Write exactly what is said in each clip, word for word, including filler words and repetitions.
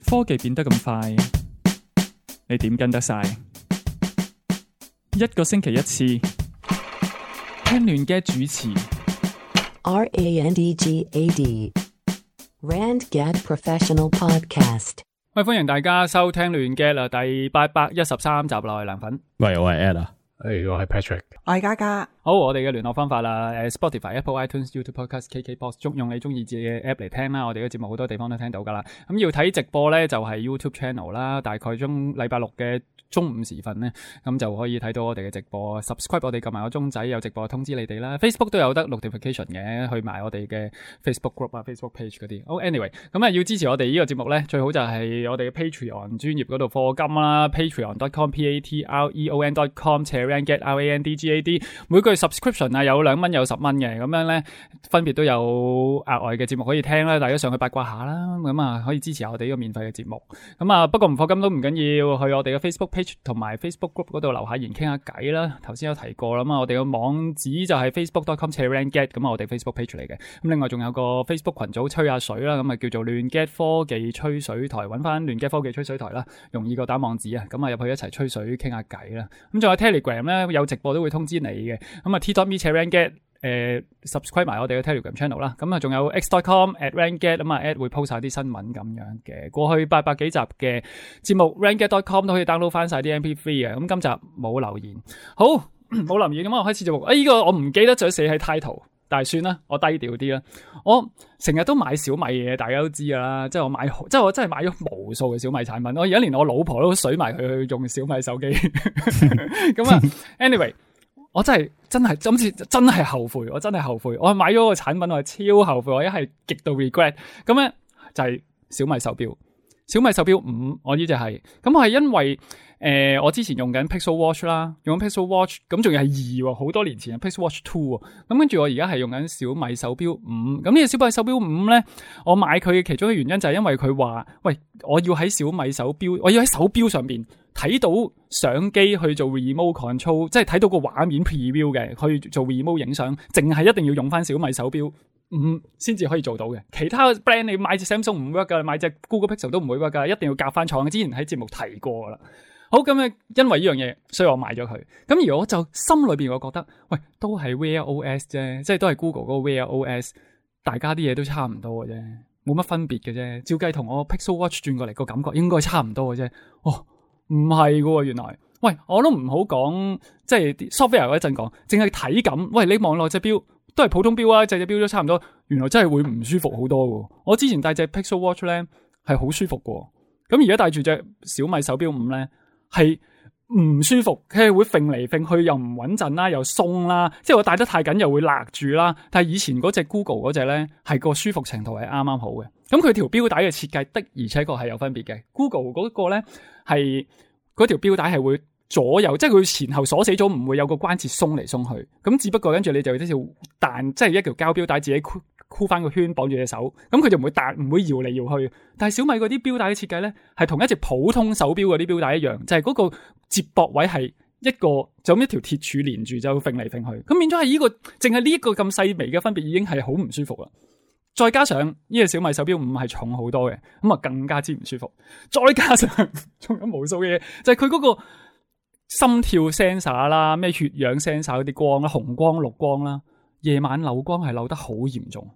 科技變得咁快，你點跟得晒？一個星期一次，聽亂嘅主持。R A N D G A D Randgad Professional Podcast。喂，歡迎大家收聽亂嘅啦，第八百一十三集啦，我係梁粉。喂，我係 Ed 啊。誒，我係 Patrick，我係嘉嘉。好，我哋嘅聯絡方法啦，誒 Spotify、Apple iTunes、YouTube Podcast、K K Box， 中用你中意自己嘅 app 嚟聽啦。我哋嘅節目好多地方都聽到噶啦。咁要睇直播咧，就係 YouTube Channel 啦。大概中禮拜六嘅中午時分咧，咁就可以睇到我哋嘅直播。Subscribe 我哋撳埋個鐘仔，有直播通知你哋啦。Facebook 都有得 notification 嘅，去埋我哋嘅 Facebook group 啊、Facebook page 嗰啲。好 ，anyway， 咁啊要支持我哋呢個節目咧，最好就係我哋嘅 Patreon 專頁嗰度課金啦 ，patreon dot com p a t r e o n dot com 斜 randgad r a n d g a d， 每個月 subscription 啊有兩蚊有十蚊嘅，咁樣咧分別都有額外嘅節目可以聽啦，大家上去八卦下啦，咁啊可以支持下我哋呢個免費嘅節目。咁啊不過唔課金都唔緊要，去我哋嘅 Facebook page 同埋 Facebook group 嗰度留下言傾下偈啦。頭先有提過啦嘛，我哋嘅網址就係 facebook dot com 斜 randgad， 咁啊我哋 Facebook page 嚟嘅。咁另外仲有個 Facebook 群組吹下水啦，咁啊叫做亂 get 科技吹水台，揾翻亂 get 科技吹水台啦，容易過打網址啊。咁啊入去一齊吹水傾下偈啦。咁仲有 Telegram 咧，有直播都會通知你嘅。咁啊 t dot me 斜 randgad。誒、uh, subscribe 埋我哋嘅 Telegram channel 啦，咁啊仲有 x dot com at randgad， 咁啊 at 會 post 晒啲新聞咁樣嘅。過去八百幾集嘅節目 randgad dot com 都可以 download 翻晒啲 M P three 嘅。咁今集冇留言，好冇留言，咁我開始節目。誒、哎、呢、這個我唔記得咗寫喺 title， 但係算啦，我低調啲啦。我成日都買小米嘅，大家都知噶啦，即係我買，即係我真係買咗無數嘅小米產品。我而家連我老婆都水埋佢去用小米手機。咁啊 ，anyway。我真係真係今次真係後悔，我真係後悔，我買咗個產品，我係超後悔，我一係極度 regret。咁咧就係小米手錶，小米手錶五，我呢隻係，咁我係因為誒、呃、我之前用緊 Pixel Watch 啦，用緊 Pixel Watch， 咁仲要係二，好多年前嘅 Pixel Watch Two， 咁跟住我而家係用緊小米手錶五，咁呢個小米手錶五咧，我買佢嘅其中一個原因就係因為佢話，喂，我要喺小米手錶，我要喺手錶上邊睇到相機去做 remote control， 即係睇到個畫面 preview 嘅，去做 remote 影相，淨係一定要用翻小米手錶五先至可以做到嘅。其他 brand 你買隻 Samsung 唔 work 噶，買隻 Google Pixel 都唔會 work 噶，一定要夾翻廠。之前喺節目提過噶啦。好，咁咧，因為呢樣嘢，所以我買咗佢。咁而我就心裏邊我覺得，喂，都係 Wear O S 啫，即係都係 Google 嗰個 Wear O S， 大家啲嘢都差唔多嘅啫，冇乜分別嘅啫。照計同我 Pixel Watch 轉過嚟個感覺應該差唔多嘅啫。哦。唔係噶，原來，喂，我都唔好講，即係 software 嗰一陣講，淨係體感。喂，你望落隻錶都係普通錶啊，隻隻錶都差唔多，原來真係會唔舒服好多噶。我之前戴隻 Pixel Watch 咧係好舒服噶，咁而家戴住隻小米手錶五咧係唔舒服，佢係會揈嚟揈去，又唔穩陣啦，又鬆啦，即係我戴得太緊又會勒住啦。但係以前嗰隻 Google 嗰隻咧係個舒服程度係啱啱好嘅。咁佢條錶帶嘅設計的而且確係有分別嘅。Google 嗰個咧係嗰條錶帶係會左右，即係佢前後鎖死咗，唔會有個關節鬆嚟鬆去。咁只不過跟住你就一條彈，即係一條膠錶帶自己箍箍翻個圈綁住隻手，咁佢就唔會彈，唔會搖嚟搖去。但係小米嗰啲錶帶嘅設計咧，係同一隻普通手錶嗰啲錶帶一樣，就係嗰個接駁位係一個就咁一條鐵柱連住就揈嚟揈去。咁變咗係呢個，淨係呢一個咁細微嘅分別已經係好唔舒服啦。再加上呢個小米手錶五係重好多嘅，咁啊更加之唔舒服。再加上仲有無數嘅嘢，就係佢嗰個心跳 sensor 啦，咩血氧 sensor 嗰啲光啦，紅光綠光啦，夜晚漏光係漏得好嚴重。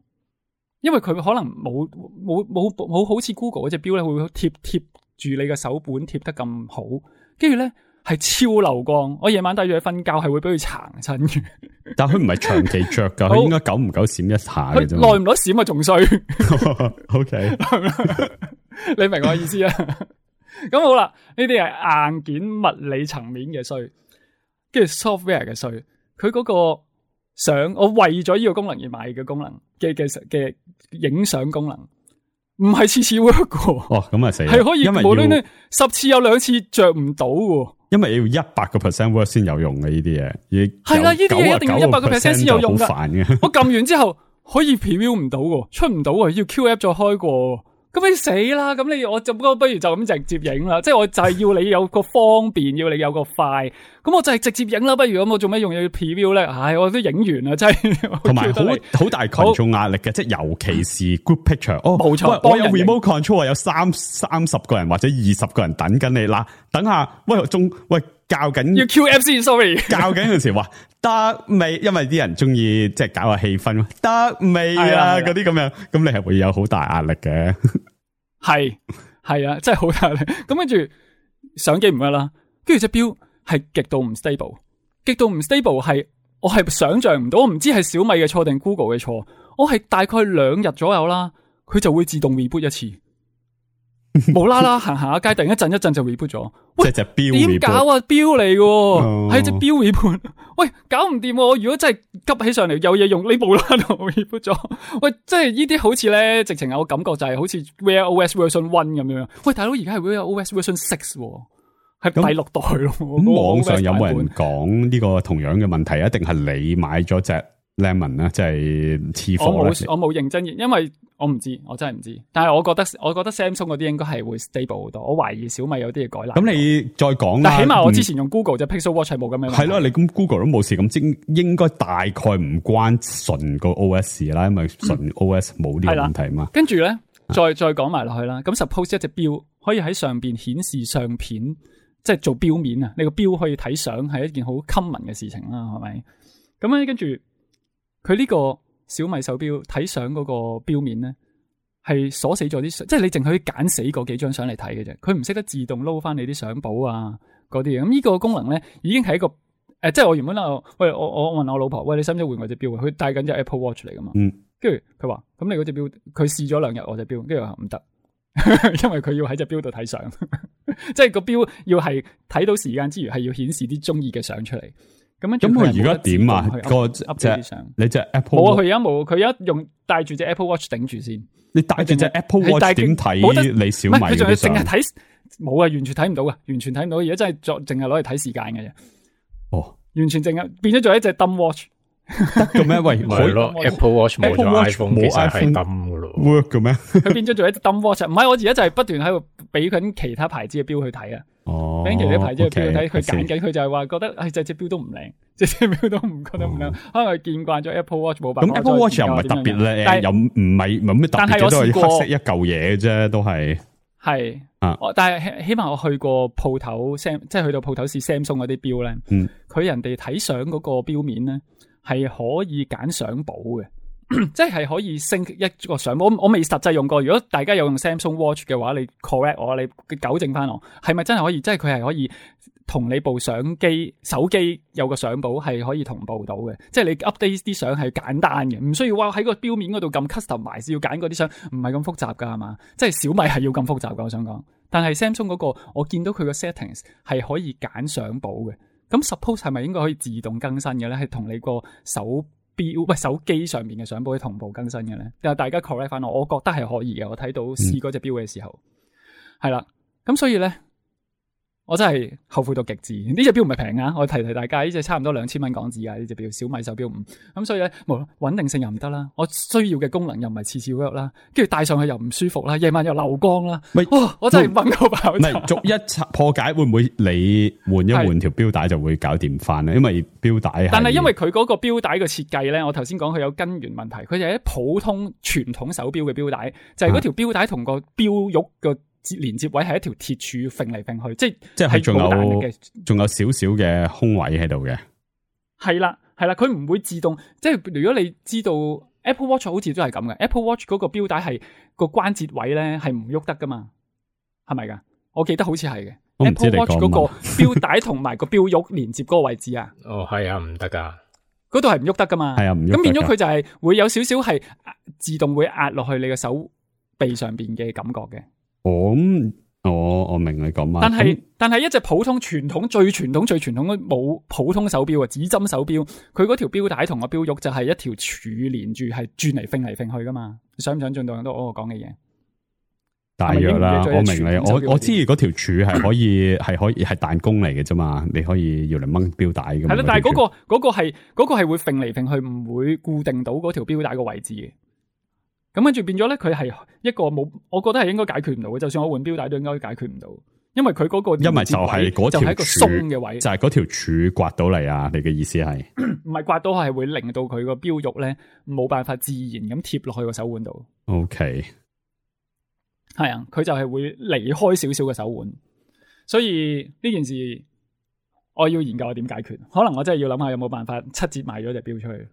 因為佢可能冇冇冇冇好似 Google 嗰隻錶咧，會貼貼住你嘅手本貼得咁好，跟住咧係超漏光。我夜晚戴住佢瞓覺係會俾佢殘親嘅。但佢唔係長期着噶，佢應該久唔久閃一下嘅啫。耐唔耐閃啊，仲衰。O K， 你明我意思啊？咁好啦，呢啲係硬件物理層面嘅衰，跟住 software 嘅衰。佢嗰個相，我為咗呢個功能而買嘅功能嘅嘅嘅影相功能，唔係次次 work 嘅。哦，咁啊死，係可以無論你十次有兩次着唔到嘅。因為要一百個 percent work 先有用嘅呢啲嘢，係啦，呢啲嘢一定要一百個 percent 先有用噶。好煩嘅，我撳完之後可以 preview 唔到嘅，出唔到啊，要 Q app 再開過。咁你死啦！咁你我就不如就咁直接影啦，即係我就係要你有個方便，要你有個快，咁我就係直接影啦。不如咁，我做咩用要 preview 咧？唉，我都影完啦，真係。同埋好好大群眾壓力嘅，即係尤其是 group picture。哦，冇錯，我有 remote control，有三三十個人或者二十個人等緊你啦。等下，喂，仲喂教緊要 Q F 先 ，sorry， 教緊嗰時話得未？因為啲人中意即係搞下氣氛，得未啊？嗰啲咁樣，咁你係會有好大壓力嘅。係係啊，真係好大壓力。咁跟住相機唔得啦，跟住隻錶係極度唔 stable， 極度唔 stable 係我係想象唔到，我唔知係小米嘅錯定 Google 嘅錯。我係大概兩日左右啦，佢就會自動 reboot 一次。無啦啦行行下街，突然一陣一陣就 reboot 咗。喂，即係隻錶點搞啊？錶嚟嘅，係隻錶 reboot。喂，搞唔掂。我如果真係急起上嚟，有嘢用，你無啦啦 reboot 咗。喂，即係呢啲好似咧，直情有感覺就係好似 Wear O S Version One 咁樣。喂，大佬而家係 Wear O S Version Six，係第六代咯。咁網上有冇人講呢個同樣嘅問題？一定係你買咗隻 Lemon 咧，即係次貨。我冇我冇認真，因為我唔知，我真係唔知。但係我覺得，我覺得 Samsung 嗰啲應該係會 stable 好多。我懷疑小米有啲嘢改難。咁你再講啦。但起碼我之前用 Google 隻 Pixel Watch 係冇咁樣。係咯，你咁 Google 都冇事，咁應應該大概唔關純個 O S 啦，因為純 O S 冇呢個問題嘛。跟住咧，再再講埋落去啦。咁 suppose 一隻錶可以喺上邊顯示相片，即係做錶面啊。你個錶可以睇相，係一件好 common 嘅事情啦，係咪？咁咧，跟住佢呢個小米手錶睇相嗰個錶面咧，係鎖死咗啲相，即係你淨可以揀死嗰幾張相嚟睇嘅啫。佢唔識得自動撈翻你啲相簿啊嗰啲嘢。咁呢個功能咧，已經係一個誒、呃，即係我原本啊，喂，我我問我老婆，喂，你使唔使換我隻錶？佢戴緊隻 Apple Watch 嚟噶嘛？嗯，跟住佢話，咁你嗰隻錶，佢試咗兩日我隻錶，跟住話唔得，因為佢要喺隻錶度睇相，即係個錶要係睇到時間之餘，係要顯示啲中意嘅相出嚟。咁咁佢而家點啊？個隻你隻 Apple 冇啊！佢而家冇，佢而家用戴住隻 Apple Watch 頂住先。你戴住隻 Apple Watch 點睇你小米嗰啲相？淨係睇冇啊！完全睇唔到啊！完全睇唔到。而家真係作淨係攞嚟睇時間嘅啫。哦，完全淨係變咗做一隻 dumb watch。得嘅咩？喂，係咯 ，Apple Watch 冇咗 iPhone，其實係 dumb 噶咯。work 嘅咩？佢變咗做一隻 dumb watch。唔係，我而家就係不斷喺度俾緊其他牌子嘅錶去睇啊。哦，俾其他牌子嘅錶去睇，佢揀緊，佢就係話覺得，唉，隻隻錶都唔靚，隻隻錶都唔覺得唔靚，可能佢見慣咗 Apple Watch 冇辦法。咁 Apple Watch 又唔係特別咧，又唔係冇咩特別嘅，都係黑色一嚿嘢啫，都係。係啊，但係起碼我去過鋪頭 Sam，即係去到鋪頭試 Samsung 嗰啲錶咧，嗯，佢人哋睇相嗰個錶面咧係可以揀相簿嘅。即係可以升一個相簿，我未實際用過。如果大家有用 Samsung Watch 嘅話，你 correct 我，你糾正翻我，係咪真係可以？即係佢係可以同你部相機、手機有個相簿係可以同步到嘅。即係你 update 啲相係簡單嘅，唔需要話喺個錶面嗰度撳 custom 埋，要揀嗰啲相，唔係咁複雜噶係嘛？即係小米係要咁複雜噶，我想講。但係 Samsung 嗰個，我見到佢個 settings 係可以揀相簿嘅。咁 suppose 係咪應該可以自動更新嘅咧？係同你個手錶喂手機上面嘅相簿可以同步更新嘅咧？但係大家 correct 翻我，我覺得係可以嘅。我睇到試嗰隻錶嘅時候，係啦、嗯。咁所以咧，我真係後悔到極致。呢隻錶唔係平啊！我提提大家，呢隻差唔多兩千蚊港紙啊！呢隻錶小米手錶五。咁所以咧，冇穩定性又唔得啦。我需要嘅功能又唔係次次 work 啦，跟住戴上去又唔舒服啦，夜晚又漏光啦。喂，哇！我真係掹到爆炸。唔係逐一破解，會唔會你換一換條錶帶就會搞掂翻咧？因為錶帶，但係因為佢嗰個錶帶嘅設計咧，我頭先講佢有根源問題。佢就係一普通傳統手錶嘅錶帶，就係嗰條錶帶同個錶玉個連接位係一條鐵柱揈嚟揈去，即係即係仲有仲有少少嘅空位喺度嘅。係啦係啦，佢唔會自動，即係如果你知道 Apple Watch 好似都係咁嘅 ，Apple Watch 嗰個錶帶係個關節位咧係唔喐得噶嘛，係咪噶？我記得好似係嘅 Apple Watch 嗰個錶帶同埋個錶玉連接嗰個位置啊。哦，係啊，唔得噶，嗰度係唔喐得噶嘛。係啊，唔喐。咁變咗佢就係會有少少係自動會壓落去你嘅手臂上邊嘅感覺嘅。我咁，我我明你講乜，但係但係一隻普通傳統最傳統最傳統嘅冇普通手錶啊，指針手錶，佢嗰條錶帶同個錶玉就係一條柱連住，係轉嚟揈嚟揈去噶嘛？你想唔想進到到我講嘅嘢？大約啦，我明你，我我知嗰條柱係可以係可以係彈弓嚟嘅啫嘛，你可以要嚟掹錶帶咁。係啦，但係嗰個嗰個係嗰個係會揈嚟揈去，唔會固定到嗰條錶帶個位置嘅。咁跟住變咗咧，佢係一個冇，我覺得係應該解決唔到嘅。就算我換錶帶都應該解決唔到，因為佢嗰個因為就係嗰條就係一個鬆嘅位，就係嗰條柱刮到嚟啊！你嘅意思係唔係刮到係會令到佢個錶玉咧冇辦法自然咁貼落去個手腕度。OK， 係啊，佢就係會離開少少嘅手腕，所以呢件事我要研究下點解決。可能我真係要諗下有冇辦法七折賣咗隻錶出去。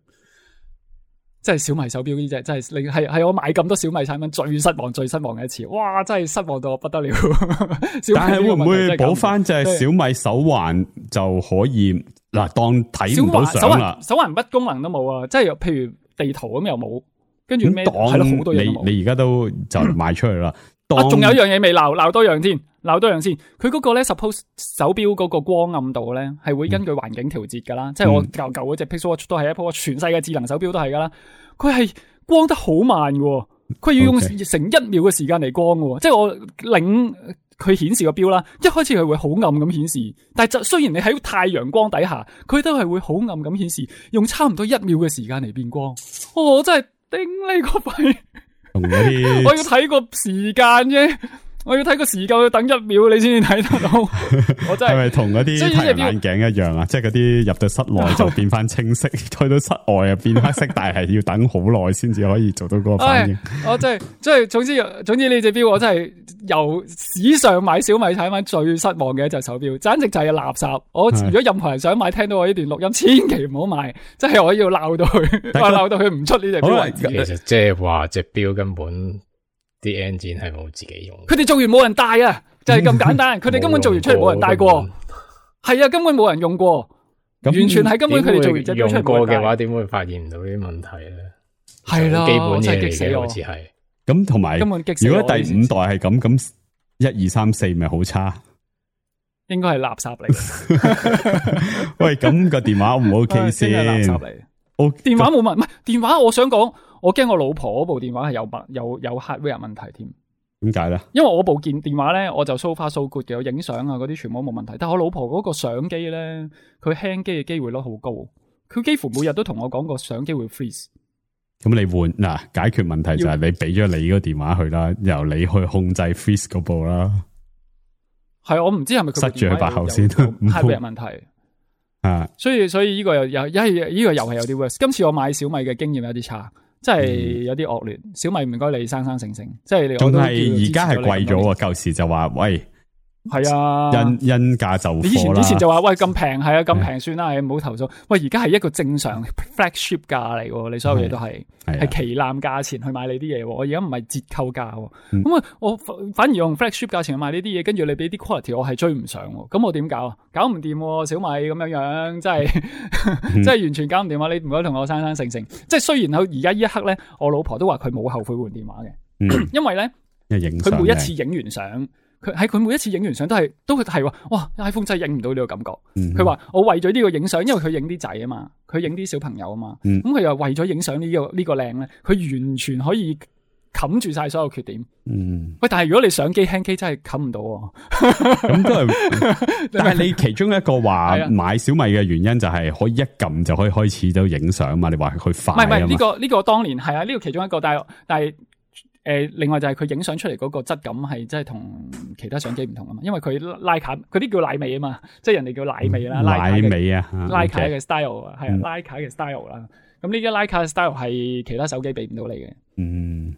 即係小米手錶呢隻，真係你係係我買咁多小米產品最失望、最失望嘅一次。哇！真係失望到我不得了。但係會唔會補翻隻小米手環就可以嗱？當睇唔到相啦，手環乜功能都冇啊！即係譬如地圖咁又冇，跟住咩係咯，好多嘢都冇。你你而家都就賣出去啦。啊，仲有一樣嘢未鬧，鬧多樣先，鬧多樣先。佢嗰個咧 ，suppose 手錶嗰個光暗度咧，係會根據環境調節噶啦。嗯、即係我舊舊嗰隻 Pixel Watch 都係 Apple Watch，全世界智能手錶都係噶啦。佢係光得好慢嘅，佢要用成一秒嘅時間嚟光嘅。Okay. 即係我領佢顯示個錶啦，一開始佢會好暗咁顯示，但係就雖然你喺太陽光底下，佢都係會好暗咁顯示，用差唔多一秒嘅時間嚟變光。哦，我真係頂你個肺！我要睇個時間啫，我要睇個時間，要等一秒你先至睇得到。我真係係咪同嗰啲太陽眼鏡一樣啊？即係嗰啲入到室內就變翻清晰，去到室外又變翻色，但係要等好耐先至可以做到嗰個反應。我真係，即係總之，總之呢隻錶我真係由史上買小米產品最失望嘅一隻手錶，簡直就係垃圾。我如果任何人想買，聽到我呢段錄音，千祈唔好買，即係我要鬧到佢，話鬧到佢唔出呢隻錶為止。其實即係話隻錶根本啲 engine 係冇自己用，佢哋做完冇人戴啊，就係咁簡單。佢哋根本做完出嚟冇人戴過，係啊，根本冇人用過，完全係根本佢哋做完隻錶出嚟用過嘅話，點會發現唔到呢啲問題咧？係啦，基本嘢嚟嘅，好似係。咁同埋，如果第五代係咁，咁一二三四咪好差，應該係垃圾嚟。喂，咁個電話唔 OK 先？垃圾嚟。電話冇問，唔係電話。我想講，我驚我老婆嗰部電話係有問，有有 hardware 問題添。點解咧？因為我部件電話咧，我就 so far so good 嘅，我影相啊嗰啲全部冇問題。但係我老婆嗰個相機咧，佢輕機嘅機會率好高，佢幾乎每日都同我講個相機會 freeze。咁你換嗱，解決問題就係你俾咗你個電話去啦，由你去控制 freeze 嗰部啦。係我唔知係咪佢塞住佢把口先 hardware 問題。啊，所以所以呢個又又一係呢個又係有啲 worse。今次我買小米嘅經驗有啲差，即係有啲惡劣。嗯、小米唔該你生生性性，即係你仲係而家係貴咗。舊時就話喂。係啊，因因價就貨啦。以前以前就話喂咁平，係啊咁平算啦，唔好投訴。喂，而家係一個正常 flagship 價嚟，你所有嘢都係係旗艦價錢去買你啲嘢。我而家唔係折扣價，咁、嗯、啊我反而用 flagship 價錢去買呢啲嘢，跟住你俾啲 quality 我係追唔上，咁我點搞啊？搞唔掂，小米咁樣樣，真係真係完全搞唔掂啊！你唔該同我生生性性。即係雖然佢而家呢一刻咧，我老婆都話佢冇後悔換電話嘅、嗯，因為咧佢每一次影完相。佢喺佢每一次影完相都係都係話，哇 iPhone 真係影唔到呢個感覺。佢、嗯、話我為咗呢個影相，因為佢影啲仔啊嘛，佢影啲小朋友啊嘛，咁佢又為咗影相呢個呢個靚咧，佢完全可以冚住晒所有缺點。嗯，喂，但係如果你相機輕機真係冚唔到，咁都係。但係你其中一個話買小米嘅原因就係可以一撳就可以開始到影相嘛？你話佢快啊嘛？唔係唔係呢個呢、這個當年係啊，呢、這個其中一個，但係但係。誒、呃，另外就係佢影相出嚟嗰個質感係真係同其他相機唔同啊嘛，因為佢拉卡嗰啲叫奶尾啊嘛，即係人哋叫奶尾啦，奶尾啊，拉卡嘅 style 啊，係啊，拉卡嘅 style 啦。咁呢啲拉卡嘅 style 係其他手機俾唔到你嘅。嗯，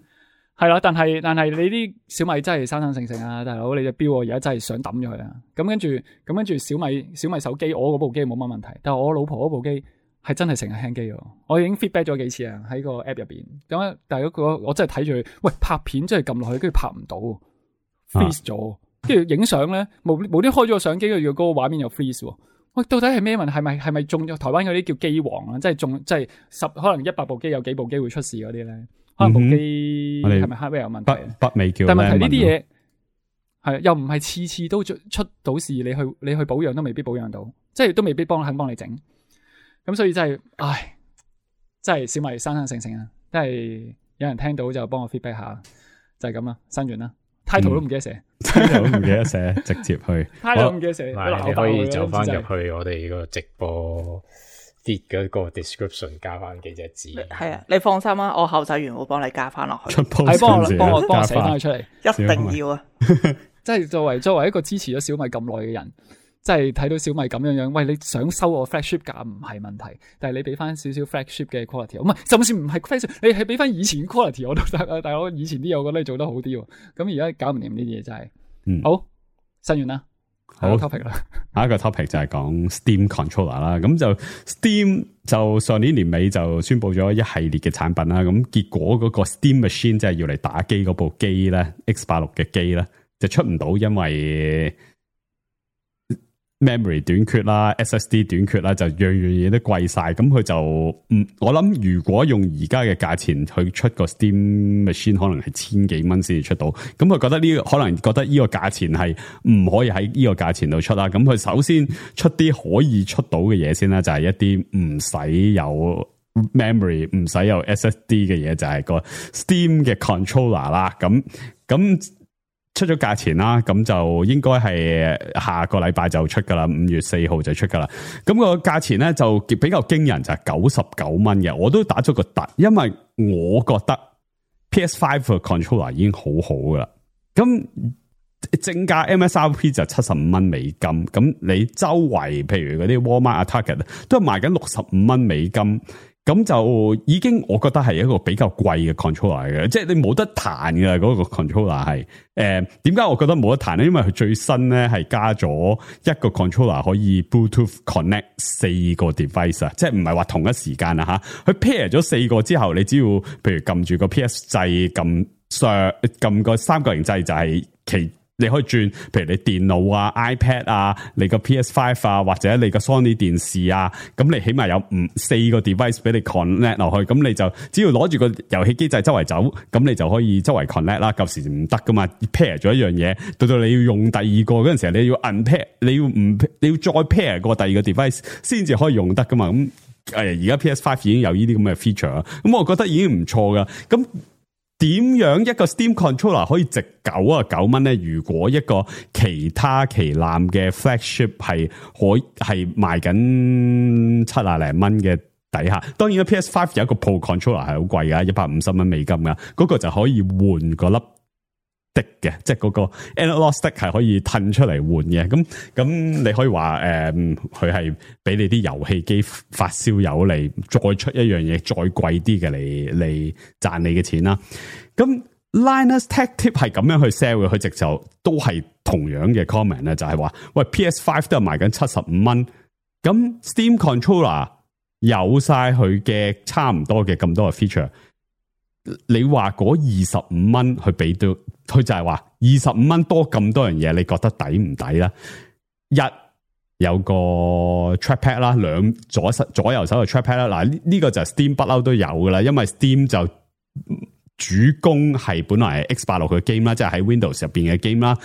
係啦，但係但係你啲小米真係生生性性啊，大佬，你隻錶我而家真係想抌咗佢啊。咁跟住咁跟住小米小米手機，我嗰部機冇乜問題，但係我老婆嗰部機。係真係成日輕機喎，我已經 feedback 咗幾次啊，喺個 app 入邊。咁但係嗰個我真係睇住佢，喂，拍片真係撳落去，跟住拍唔到 freeze 咗，跟住影相咧無無端開咗個相機，跟住嗰個畫面又 freeze。喂，到底係咩問題？係咪係咪中咗台灣嗰啲叫機王啊？即係中即係十可能一百部機有幾部機會出事嗰啲咧？可能部機係咪 hardware 有問題？北北美叫，但係問題呢啲嘢係又唔係次次都出到事，你去你去保養都未必保養到，即係都未必幫肯幫你整。咁所以真係，唉，真係小米生生性性啊！真係有人聽到就幫我 feedback 下，就係咁啦，新完啦 ，title 都唔記得寫 ，title 都唔記得寫，直接去 ，title 都唔記得寫，你可以走翻入去我哋個直播 feed 嗰個 description 加翻幾隻字。係啊，你放心啊，我後製員會幫你加翻落去。係幫我幫我幫我寫翻佢出嚟，一定要啊！即係作為作為一個支持咗小米咁耐嘅人。即係睇到小米咁樣樣，喂，你想收我 flagship 價唔係問題，但係你俾翻少少 flagship 嘅 quality，唔係，就算唔係 flagship，你係俾翻以前 quality 我都得啊，大佬，以前啲嘢我覺得你做得好啲喎，咁而家搞唔掂呢啲嘢真係，嗯、好，新完啦，好 topic 啦，下一個 topic 就係講 Steam controller 啦，咁就 Steam 就上年年尾就宣布咗一系列嘅產品啦，咁結果嗰個 Steam Machine 即係要嚟打機嗰部機咧 X 八六嘅機咧就出唔到，因為memory 短缺啦 ，S S D 短缺啦，就樣樣嘢都貴晒，咁佢就唔，我諗如果用而家嘅價錢去出個 Steam Machine， 可能係千幾蚊先至出到，咁佢覺得呢、這個可能覺得呢個價錢係唔可以喺呢個價錢度出啦，咁佢首先出啲可以出到嘅嘢先啦，就係、是、一啲唔使有 memory 唔使有 S S D 嘅嘢，就係、是、個 Steam 嘅 controller 啦，咁咁。出咗價錢啦，咁就應該係下個禮拜就出噶啦，五月四號就出噶啦。咁個價錢咧就比較驚人，就係九十九蚊嘅。我都打咗個突，因為我覺得 P S 五 嘅 controller 已經好好噶啦。咁正價 M S R P 就七十五蚊美金，咁你周圍譬如嗰啲 Walmart 啊 Target 都係賣緊六十五蚊美金。咁就已經我覺得係一個比較貴嘅 controller 嘅，即係你冇得彈嘅嗰個 controller 係。誒，點解我覺得冇得彈咧？因為佢最新咧係加咗一個 controller 可以 Bluetooth connect 四個 device 啊，即係唔係話同一時間啊吓。佢 pair 咗四個之後，你只要譬如撳住個 P S 掣，撳上撳個三角形掣就係其。你可以轉，譬如你電腦啊、iPad 啊、你個 P S 五 啊，或者你個 Sony 電視啊，咁你起碼有五四個 device 俾你 connect 落去，咁你就只要攞住個遊戲機掣周圍走，咁你就可以周圍 connect 啦。舊時唔得噶嘛 ，pair 咗一樣嘢，到到你要用第二個嗰陣時候，你要 unpair，你要唔你要再 pair 過第二個 device 先至可以用得噶嘛。咁誒，而家 P S 五 已經有呢啲咁嘅 feature 啦，咁我覺得已經唔錯噶。咁點樣一個 Steam controller 可以值九啊九蚊咧？如果一個其他旗艦嘅 flagship 係可係賣緊七啊零蚊嘅底下，當然啦 P S 五 有一個 Pro controller 係好貴噶，一百五十蚊美金噶，嗰、那個就可以換個粒的嘅，即係嗰個 analog stick 係可以褪出嚟換嘅。咁咁你可以話誒，佢係俾你啲遊戲機發燒友嚟再出一樣嘢再貴啲嘅嚟嚟賺你嘅錢啦。咁 Linus Tech Tip 係咁樣去 sell 嘅，佢直就都係同樣嘅 comment 咧，就係話喂 P S 五 都係賣緊七十五蚊，咁 Steam controller 有晒佢嘅差唔多嘅咁多嘅 feature。你話嗰二十五蚊去俾到，佢就係話二十五蚊多咁多樣嘢，你覺得抵唔抵啦？一有個 trackpad 啦，兩左手左右手嘅 trackpad 啦。嗱，呢個就係 Steam 不嬲都有噶啦，因為 Steam 就主攻係本來係 X 八六嘅 game 啦，即係喺 Windows 入邊嘅 game 啦，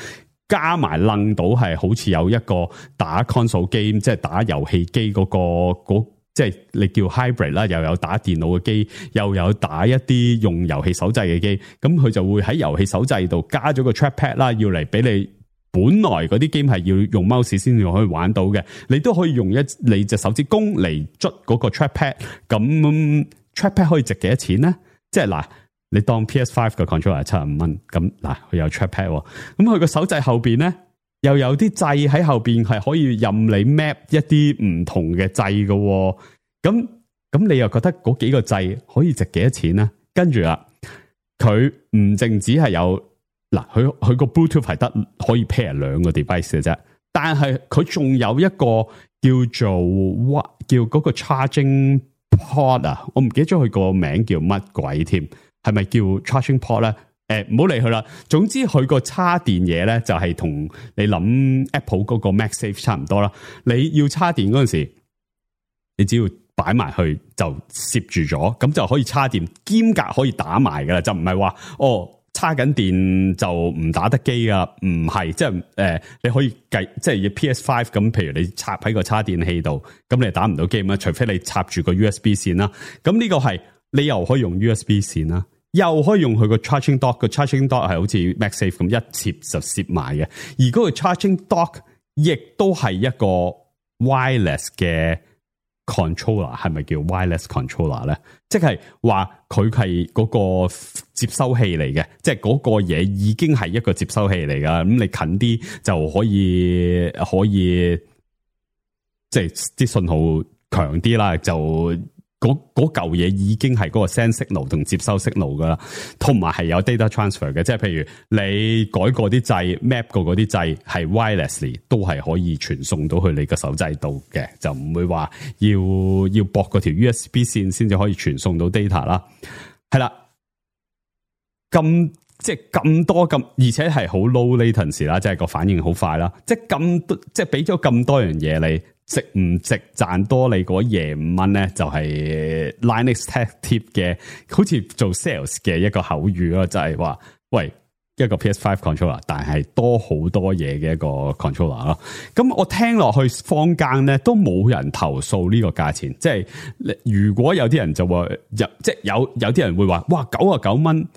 加埋楞到係好似有一個打 console game，即係打遊戲機嗰個嗰。即係你叫 hybrid 啦，又有打電腦嘅機，又有打一啲用遊戲手掣嘅機，咁佢就會喺遊戲手掣度加咗個 trackpad 啦，要嚟俾你本來嗰啲 game 係要用 mouse 先至可以玩到嘅，你都可以用一你隻手指公嚟捽嗰個 trackpad，咁 trackpad 可以值幾多錢咧？即係嗱，你當 P S 五 嘅 controller 係七十五蚊，咁嗱佢有 trackpad， 咁佢個手掣後邊咧？又有啲掣喺後邊係可以任你 map 一啲唔同嘅掣嘅，咁咁你又覺得嗰幾個掣可以值幾多錢咧？跟住啦，佢唔淨止係有嗱，佢佢個 Bluetooth 係得可以 pair 兩個 device 嘅啫，但係佢仲有一個叫做 what 叫嗰個 charging port 啊，我唔記得咗佢個名叫乜鬼添，係咪叫 charging port 咧？誒，唔好理佢啦。總之佢個插電嘢咧，就係同你諗 Apple 嗰個 MagSafe 差唔多啦。你要插電嗰陣時，你只要擺埋去就攝住咗，咁就可以插電，兼夾可以打埋噶啦。就唔係話哦，插緊電就唔打得機啊，唔係，即係誒、呃，你可以計，即係 P S 五 咁。譬如你插喺個插電器度，咁你打唔到機啊，除非你插住個 U S B 線啦。咁呢個係你又可以用 U S B 線啦。又可以用佢個 charging dock，個 charging dock 係好似 MagSafe 咁一接就攝埋嘅，而嗰個 charging dock 亦都係一個 wireless 嘅 controller 係咪叫 wireless controller 咧？即係話佢係嗰個接收器嚟嘅，即係嗰個嘢已經係一個接收器嚟噶。咁你近啲就可以可以，即係啲信號強啲啦，就。嗰嗰嚿嘢已經係嗰個 send signal 同接收 signal 噶啦，同埋係有 data transfer 嘅，即係譬如你改過啲掣 map 過嗰啲掣係 wirelessly 都係可以傳送到去你個手掣度嘅，就唔會話要要駁嗰條 U S B 線先至可以傳送到 data 啦。係啦，咁即係咁多咁，而且係好 low latency 啦，即係個反應好快啦，即係咁多，即係俾咗咁多樣嘢你。值唔值賺多你嗰廿五蚊咧？就係、是、Linux Tech Tip 嘅，好似做 sales 嘅一個口語咯，就係、是、話，喂，一個 P S 五 controller，但係多好多嘢嘅一個 controller 咯。咁我聽落去坊間咧都冇人投訴呢個價錢，即係如果有啲人就話，有即係有有啲人會話，哇，九啊九蚊，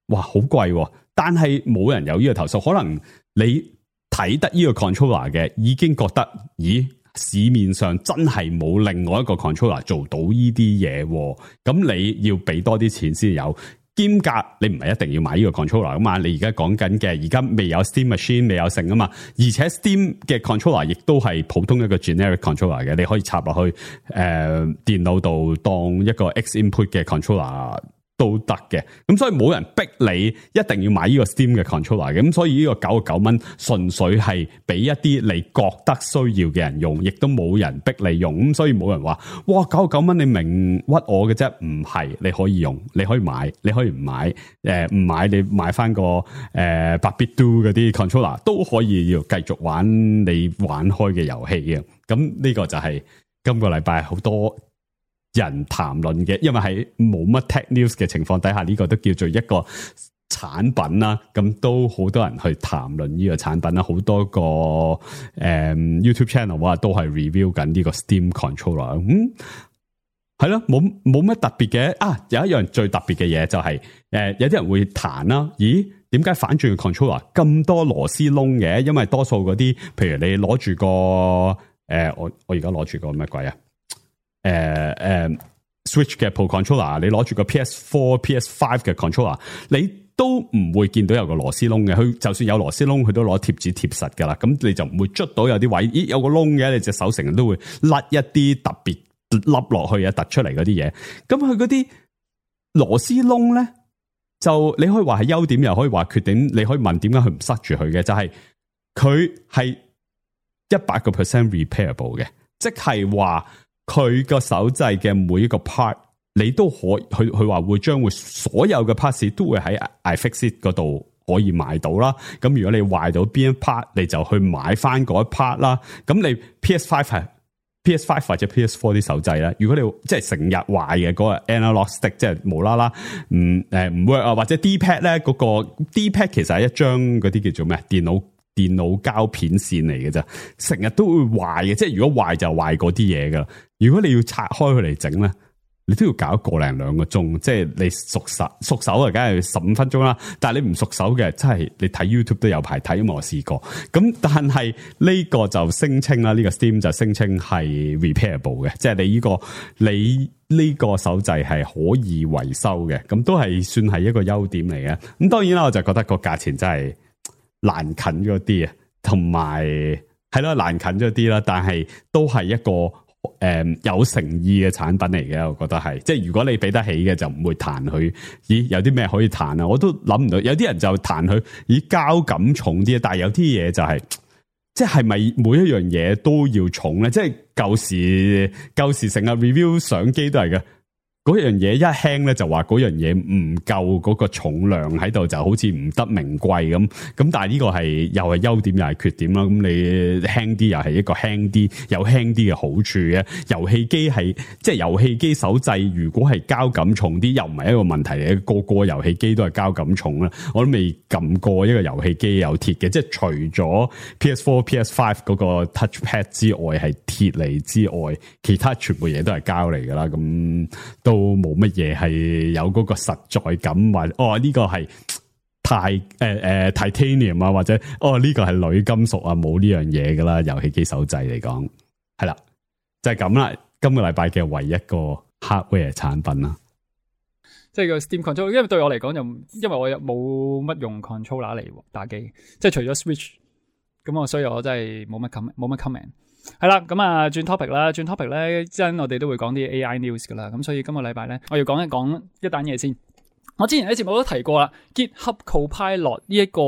哇，好貴，但係冇人有呢個投訴，可能你睇得呢個 controller 嘅已經覺得，咦？市面上真係冇另外一個 controller 做到呢啲嘢，咁你要俾多啲錢先有。兼夾你唔係一定要買呢個 controller 噶嘛，你而家講緊嘅而家未有 Steam Machine 未有成啊嘛，而且 Steam 嘅 controller 亦都係普通一個 generic controller 嘅，你可以插落去誒、呃、電腦度當一個 X input 嘅 controller。都得嘅，咁所以冇人逼你一定要買呢個 Steam 嘅 controller 嘅，咁所以呢個九十九蚊純粹係俾一啲你覺得需要嘅人用，亦都冇人逼你用，咁所以冇人話哇九十九蚊你明屈我嘅啫，唔係，你可以用，你可以買，你可以唔買，誒、呃、唔買你買翻個誒八 bit do 嗰啲 controller 都可以要繼續玩你玩開嘅遊戲嘅，咁呢個就係今個禮拜好多人談論嘅，因為喺冇乜 tech news 嘅情況底下，呢、這個都叫做一個產品啦。咁都好多人去談論呢個產品啦，好多個誒、嗯、YouTube channel 啊都係 review 緊呢個 Steam controller。嗯，係咯，冇冇乜特別嘅啊。有一樣最特別嘅嘢就係、是、誒、呃，有啲人會彈啦。咦，點解反轉嘅 controller 咁多螺絲窿嘅？因為多數嗰啲，譬如你攞住個誒、呃，我我而家攞住個咩鬼啊？誒、uh, 誒、uh, Switch 嘅 Pro Controller， 你攞住個 P S 四、P S 五嘅 Controller， 你都唔會見到有個螺絲窿嘅。佢就算有螺絲窿，佢都攞貼紙貼實噶啦。咁你就唔會捽到有啲位，咦有個窿嘅，你隻手成日都會甩一啲特別凹落去啊，突出嚟嗰啲嘢。咁佢嗰啲螺絲窿咧，就你可以話係優點，又可以話缺點。你可以問點解佢唔塞住佢嘅，就係佢係一百個 percent repairable 嘅，即係話。佢個手掣嘅每一個 part，你都可佢佢話會將會所有嘅 parts 都會喺 iFixit 嗰度可以買到啦。咁如果你壞到邊一 part，你就去買翻嗰一 part 啦。咁你 P S 五 係 P S 五 或者 P S 四啲手掣咧，如果你即係成日壞嘅嗰個 analog stick， 即係無啦啦唔誒唔 work 啊，或者 D-pad 咧嗰個 D-pad 其實係一張嗰啲叫做咩電腦。電腦膠片線嚟嘅啫，成日都會壞嘅，即係如果壞就壞嗰啲嘢噶。如果你要拆開佢嚟整咧，你都要搞一個零兩個鐘，即係你熟手熟手啊，梗係十五分鐘啦。但係你唔熟手嘅，真係你睇 YouTube 都有排睇，因為我試過。咁但係呢個就聲稱啦，呢個 Steam 就聲稱係 repairable 嘅，即係你呢個你呢個手掣係可以維修嘅，咁都係算係一個優點嚟嘅。咁當然啦，我就覺得個價錢真係難近咗啲啊，同埋係咯難近咗啲啦，但係都係一個誒、呃、有誠意嘅產品嚟嘅，我覺得係，即係如果你俾得起嘅就唔會彈佢。咦，有啲咩可以彈啊？我都諗唔到，有啲人就彈佢，咦膠感重啲，但係有啲嘢就係、是，即係咪每一樣嘢都要重咧？即係舊時舊時成日 review 相機都係嘅。嗰樣嘢一輕咧，就話嗰樣嘢唔夠嗰個重量喺度，就好似唔得名貴咁。咁但係呢個係又係優點又係缺點啦。咁你輕啲又係一個輕啲有輕啲嘅好處嘅。遊戲機係即係遊戲機手掣，如果係膠感重啲，又唔係一個問題嚟嘅。個個遊戲機都係膠感重啦。我都未撳過一個遊戲機有鐵嘅，即係除咗 P S 四、P S 五嗰個 touchpad 之外係鐵嚟之外，其他全部嘢都係膠嚟噶啦。咁都冇乜嘢係有嗰個實在感，或哦呢、這個係鈦誒誒 titanium 啊，或者哦呢、這個係鋁金屬啊，冇呢樣嘢噶啦。遊戲機手掣嚟講係啦，就係咁啦。今個禮拜嘅唯一個 hardware 產品啦。即係個 Steam Controller，因為對我嚟講就因為我又冇乜用 controller 嚟打機，即係除咗 Switch，咁我所以我真係冇乜 comment，冇乜 comment。係啦，咁啊轉 topic 啦，轉 topic 咧，真我哋都會講啲 A I news 噶啦，咁所以今個禮拜咧，我要講一講一單嘢先。我之前喺節目都提過啦 ，GitHub Copilot 呢一個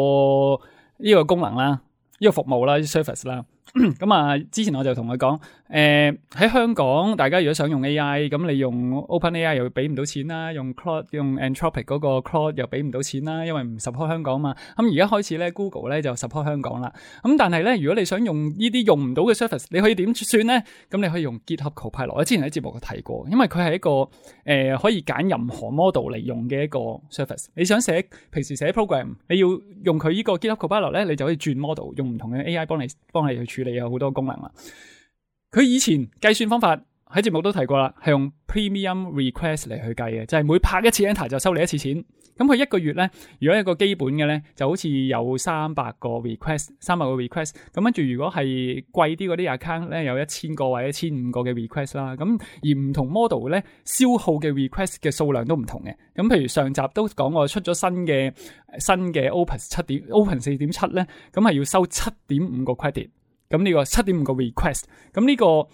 呢、這個功能啦，呢、這個服務啦 ，service 啦。咁啊，之前我就同佢講，誒、呃、喺香港，大家如果想用 A I，咁你用 OpenAI 又俾唔到錢啦，用 Claude 用 Anthropic 嗰個 Claude 又俾唔到錢啦，因為唔 support 香港嘛。咁而家開始咧 Google 咧就 support 香港啦。咁但係咧，如果你想用呢啲用唔到嘅 service， 你可以點算咧？咁你可以用 GitHub Copilot。我之前喺節目提過，因為佢係一個誒、呃、可以揀任何 model 嚟用嘅一個 service。你想寫平時寫 program， 你要用佢呢個 GitHub Copilot 咧，你就可以轉 model， 用唔同嘅 A I 幫你幫你去處理有好多功能啦。佢以前計算方法喺節目都提過啦，係用 premium request 嚟去計嘅，就係、是、每拍一次 enter 就收你一次錢。咁佢一個月咧，如果一個基本嘅咧，就好似有三百個 request， 三百個 request。咁跟住如果係貴啲嗰啲 account 咧，有一千個或者一千五個嘅 request 啦。咁而唔同 model 咧，消耗嘅 request 嘅數量都唔同嘅。咁譬如上集都講過出咗新嘅新嘅 Opus 七點 Open 四點七咧，咁係要收七點五個 credit。咁呢個七點五個 request， 咁呢個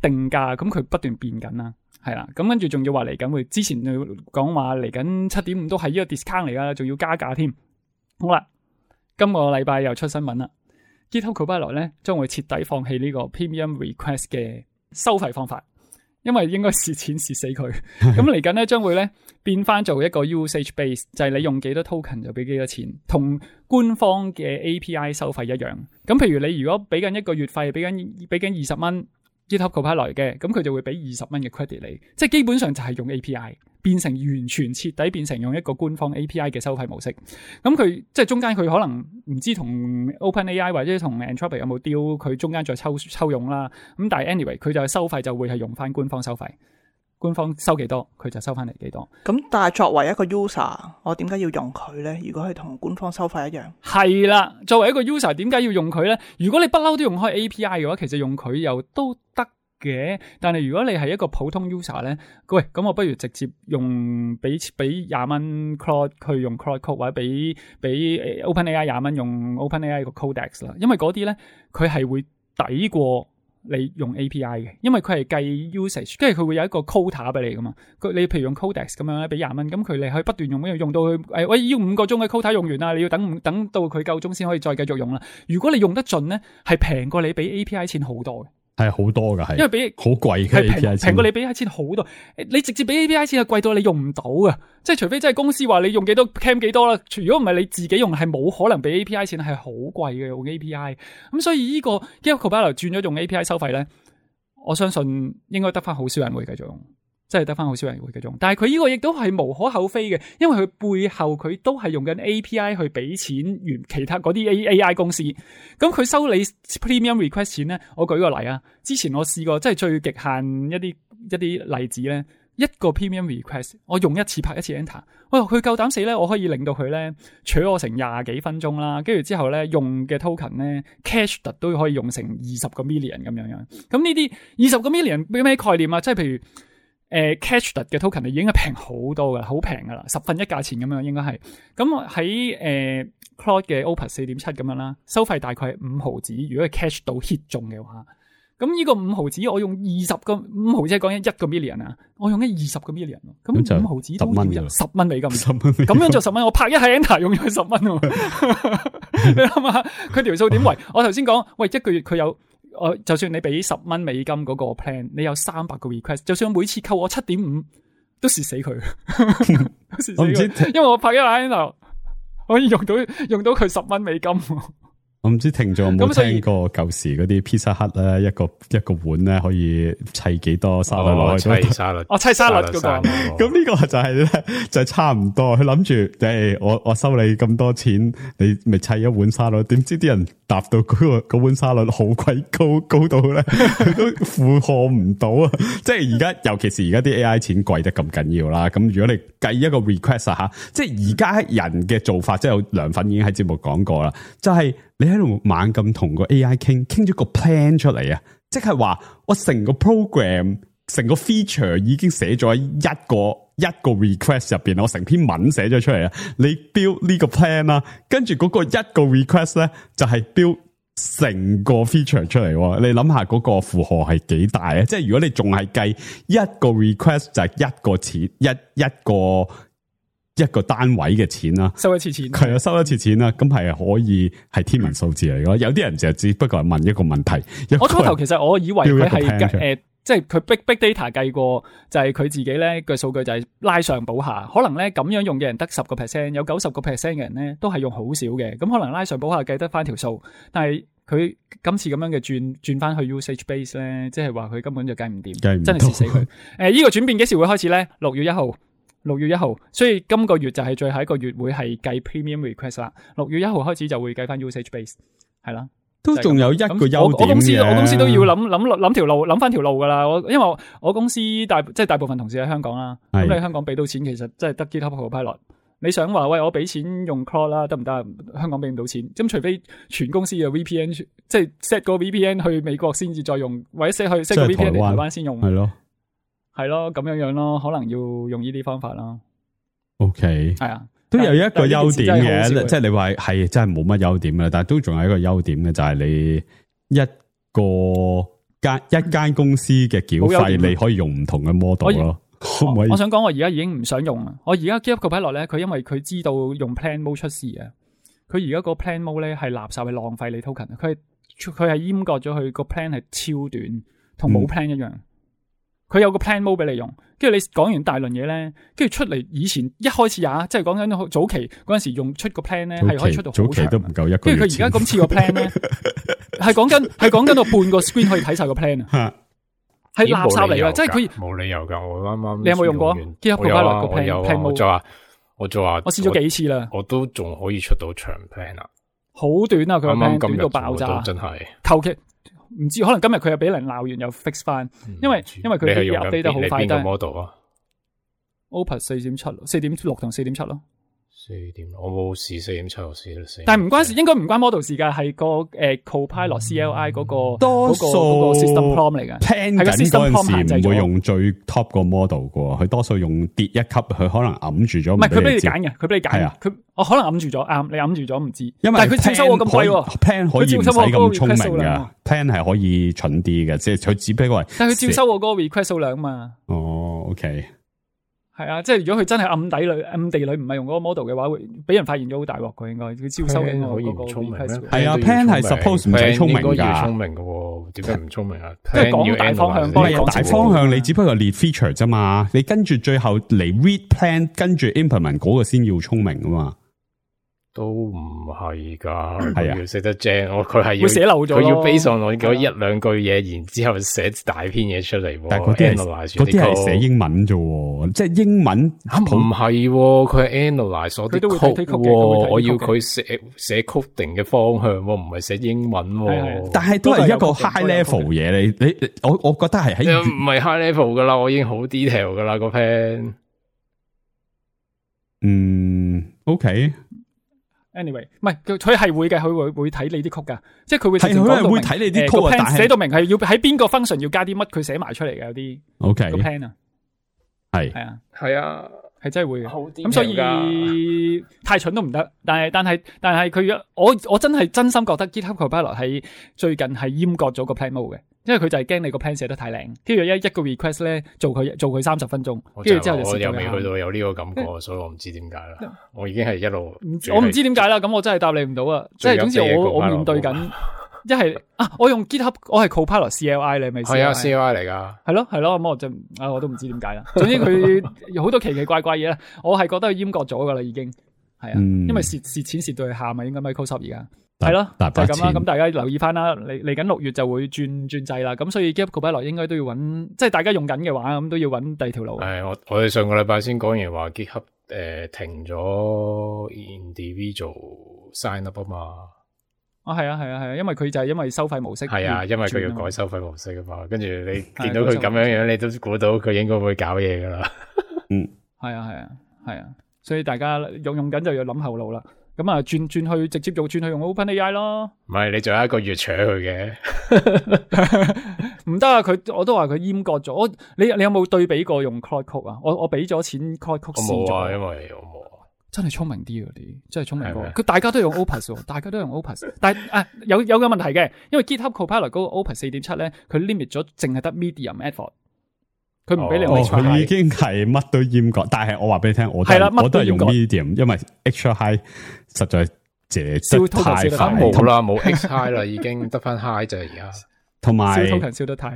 定價，咁佢不斷變緊啦，係啦，咁跟住仲要話嚟緊會，之前講話嚟緊七點五都係呢個 discount 嚟噶，仲要加價添。好啦，今個禮拜又出新聞啦 ，GitHub Copilot 咧將會徹底放棄呢個 premium request 嘅收費方法，因為應該蝕錢蝕死佢。咁嚟緊咧將會咧變翻做一個 usage base， 就係你用幾多 token 就俾幾多錢，同官方嘅 A P I 收費一樣。咁譬如你如果俾緊一個月費，俾緊俾緊二十蚊 GitHub Copilot 嘅，咁佢就會俾二十蚊嘅 credit 你，即係基本上就係用 A P I 變成完全徹底變成用一個官方 A P I 嘅收費模式。咁佢即係中間佢可能唔知同 OpenAI 或者同 Anthropic 有冇 deal， 佢中間再抽抽佣啦。咁但係 anyway 佢就收費就會係用翻官方收費。官方收幾多，佢就收翻嚟幾多。咁但係作為一個 user， 我點解要用佢咧？如果係同官方收費一樣，係啦。作為一個 user， 點解要用佢咧？如果你不嬲都用開 A P I 嘅話，其實用佢又都得嘅。但係如果你係一個普通 user 咧，喂，咁我不如直接用俾俾廿蚊 Claude 去用 Claude Code， 或者俾俾 OpenAI 廿蚊用 OpenAI 個 Codex 啦。因為嗰啲咧，佢係會抵過你用 A P I 嘅，因為佢係計 usage， 跟住佢會有一個 quota 俾你噶嘛。佢你譬如用 Codex 咁樣咧，俾廿蚊，咁佢你可以不斷用，用到佢誒，喂，要五個鐘嘅 quota 用完啦，你要等等到佢夠鐘先可以再繼續用啦。如果你用得盡咧，係平過你俾 A P I 錢好多嘅。係好多噶，係，因為俾好貴嘅 A P I 錢，平過你俾錢好多。你直接俾 A P I 錢係貴到你用唔到噶，即係除非真係公司話你用幾多 cam 幾多啦。如果唔係你自己用，係冇可能俾 A P I 錢，係好貴嘅用 A P I。咁所以呢個 GitHub Copilot 轉咗用 A P I 收費咧，我相信應該得翻好少人會繼續用，真係得翻好少人會繼續用。但係佢呢個亦都係無可厚非嘅，因為佢背後佢都係用緊 A P I 去俾錢原其他嗰啲 A I 公司。咁佢收你 premium request 錢咧，我舉個例啊。之前我試過即係最極限一啲一啲例子咧，一個 premium request 我用一次拍一次 enter， 哇佢夠膽死咧，我可以令到佢咧取我成廿幾分鐘啦，跟住之後咧用嘅 token 咧 cash 特都可以用成二十個 million 咁樣樣。咁呢啲二十個 million 咩咩概念啊？即係譬如誒、呃、cash 特嘅 token 已經係平好多噶啦，好平噶啦，十分一價錢咁樣應該係。咁喺誒 Claude 嘅 Opus 四點七咁樣啦，收費大概係五毫子，如果係 cash 到 hit 中嘅話。咁呢個五毫子我用二十個五毫子係講緊一個 million 啊，我用緊二十個 million， 咁五毫子都要十蚊美金，十蚊咁樣就十蚊，我拍一下 enter 用咗十蚊喎。你諗下佢條數點圍？我頭先講喂一個月佢有，我就算你俾十蚊美金嗰個 plan， 你有三百個 request， 就算每次扣我七點五，都蝕死佢，都蝕死佢，因為我拍一下 enter 可以用到用到佢十蚊美金。我唔知聽眾有冇聽過舊時嗰啲 Pizza Hut 咧，一個一個碗咧可以砌幾多沙律落去？砌沙律，哦，砌沙律嗰個。咁呢個就係咧，就係差唔多。佢諗住，誒，我我收你咁多錢，你咪砌一碗沙律。點知啲人搭到嗰個嗰碗沙律好鬼高，高到咧都負荷唔到啊！即係而家，尤其是而家啲 A I 錢貴得咁緊要啦。咁如果你計一個 request 啊吓，即係而家人嘅做法，即係有涼粉已經喺節目講過啦，就係、是。你喺度猛咁同個 A I 傾，傾咗個 plan 出嚟啊！即係話我成個 program 成個 feature 已經寫咗喺一個一個 request 入邊，我成篇文寫咗出嚟啦。你 build 呢個 plan 啦，跟住嗰個一個 request 咧就係 build 成個 feature 出嚟。你諗下嗰個負荷係幾大啊？即係如果你仲係計一個 request 就係一個錢一一個。一個單位嘅錢啦，收一次錢係啊，收一次錢啦，咁係可以係天文數字嚟嘅。有啲人就只不過係問一個問題。我初頭其實我以為佢係誒，即係佢 big big data 計過，就係佢自己咧嘅數據就係拉上補下。可能咧咁樣用嘅人得十個 percent，有九十個 percent 嘅人咧都係用好少嘅。咁可能拉上補下計得翻條數，但係佢今次咁樣嘅轉轉翻去 usage base 咧，即係話佢根本就計唔掂，真係蝕死佢。誒，呢、呃這個轉變幾時會開始咧？六月一號。六月一號，所以今個月就係最後一個月會係計 premium request 啦。六月一號開始就會計翻 usage base， 係啦，都仲有一個優點嘅。我公司我公司都要諗諗諗條路，諗翻條路噶啦。我因為我，我公司大即係大部分同事喺香港啦，咁你香港俾到錢，其實真係得 GitHub Copilot。你想話喂，我俾錢用 Claude 啦，得唔得？香港俾唔到錢，咁除非全公司嘅 V P N， 即係 set 個 V P N 去美國先至再用，或者 set 去 set 個 V P N 嚟台灣先用，係咯。係咯，咁樣樣咯，可能要用呢啲方法咯。OK，係啊，都有一個優點嘅，即係你話係真係冇乜優點嘅，但係都仲有一個優點嘅，就係你一個間一間公司嘅繳費，你可以用唔同嘅 model 咯。可唔可以？我想講，我而家已經唔想用啦。我而家 GitHub Copilot 咧，佢因為佢知道用 Plan Mode 出事啊，佢而家個 Plan Mode 咧係垃圾，係浪費你 token。佢佢係閹割咗佢個 plan 係超短，同冇 plan 一樣。佢、嗯、有個 plan mode 俾你用，跟住你講完大輪嘢咧，跟住出嚟以前一開始呀，即係講緊早期嗰陣時用出個 plan 咧，係可以出到好長。早期都唔夠一個月。跟住佢而家今次個 plan 咧，係講緊係講緊到半個 screen 可以睇晒個 plan 啊，係垃圾嚟噶，即係佢冇理由噶。我啱啱你有冇用過？GitHub Copilot個 plan，我就話我就話我試咗幾次啦，我都仲可以出到長 plan 啊，好短啊，佢個 plan 短到爆炸，真係求其。唔知可能今日佢又俾人鬧完又 fix 翻，因為因為佢啲 update 得好快。你邊個 model 啊 ？Opus 四點七、四點六同四點七咯。四點六，我冇試四點七，我試咗四。但係唔關事，應該唔關 model 事㗎，係個誒 Copilot C L I 嗰個多數嗰個 system prompt 嚟㗎。plan 緊嗰陣時唔會用最 top 個 model 㗎，佢多數用跌一級，佢可能揞住咗。唔係佢俾你揀嘅，佢俾你揀。佢我可能揞住咗，啱你揞住咗唔知。因為但係佢照收我咁貴喎 ，plan 可以唔使咁聰明㗎 ，plan 係可以蠢啲嘅，即係佢只不過係。但係佢照收我嗰個 request 數量嘛。哦 ，OK。係啊，即係如果佢真係暗底裏、暗地裏唔係用嗰個 model 嘅話，會俾人發現咗好大鑊。佢應該佢招收緊我嗰個 request。係啊 ，plan 係 suppose 唔使聰明噶，聰明噶，點解唔聰明啊？即係講大方向，幫你講大方向，你只不過列 feature 啫嘛。你跟住最後嚟 read plan，跟住 implement 嗰個先要聰明噶嘛。都唔係噶，係啊，要寫得正，我佢係要寫漏咗，佢要 base on 我嗰一兩句嘢，然之後寫大篇嘢出嚟。但係嗰啲係嗰啲係寫英文啫，即係英文唔係，佢係 analyze 我啲 code，我要佢寫寫 coding 嘅方向，唔係寫英文。但係都係一個 high level 嘢，你你我我覺得係喺唔係 high level 噶啦，我已經好 detail 噶啦個 plan。嗯 ，OK。anyway， 唔係佢係會嘅，佢會會睇你啲曲噶，即係佢會係佢會睇你啲曲，但係寫到明係要喺邊個 function 要加啲乜，佢寫埋出嚟嘅有啲。OK，個 plan 啊，係係啊，係啊，係真係會嘅。咁所以太蠢都唔得，但係但係但係佢我我真係真心覺得 GitHub Copilot 係最近係閹割咗個 plan mode 嘅。因為佢就係驚你個 plan 寫得太靚，跟住一一個 request 咧做佢做佢三十分鐘，跟住之後就我又未去到有呢個感覺，所以我唔知點解啦。我已經係一路，我唔知點解啦。咁我真係答你唔到啊！即係總之我我面對緊一係啊，我用 GitHub， 我係 Copilot C L I 你咪係啊 C L I 嚟噶，係咯係咯，咁我就啊我都唔知點解啦。總之佢有好多奇奇怪怪嘢啦，我係覺得佢閹割咗噶啦，已經係啊，因為蝕蝕錢蝕到去喊啊，應該 Microsoft 而家。係咯，就係咁啦。咁大家留意翻啦，嚟嚟緊六月就會轉轉制啦。咁所以 GitHub Copilot 應該都要揾，即係大家用緊嘅話，咁都要揾第二條路。係我我哋上個禮拜先講完話 GitHub 誒停咗 individual sign up 啊嘛。啊係啊係啊係啊，因為佢就係因為收費模式。係啊，因為佢要改收費模式啊嘛。跟住你見到佢咁樣樣，你都估到佢應該會搞嘢噶啦。嗯，係啊係啊係啊，所以大家用用緊就要諗後路啦。咁啊轉轉去直接用轉去用 OpenAI 咯。唔係你仲有一個月搶佢嘅，唔得啊！佢我都話佢閹割咗。我你你有冇對比過用 Claude Code 啊？我我俾咗錢 Claude Code 試咗，我冇啊，因為我冇。真係聰明啲嗰啲，真係聰明過。佢大家都用 Opus， 大家都用 Opus， 但係啊有有個問題嘅，因為 GitHub Copilot 嗰個 Opus 四點七咧，佢 limit 咗淨係得 medium effort， 佢唔俾你用 extra high。佢已經係乜都閹割，但係我話俾你聽，我都我都係用 medium， 因為 extra high 實在借得太快，冇啦，冇 X high 啦，已經得翻 high 就而家。同埋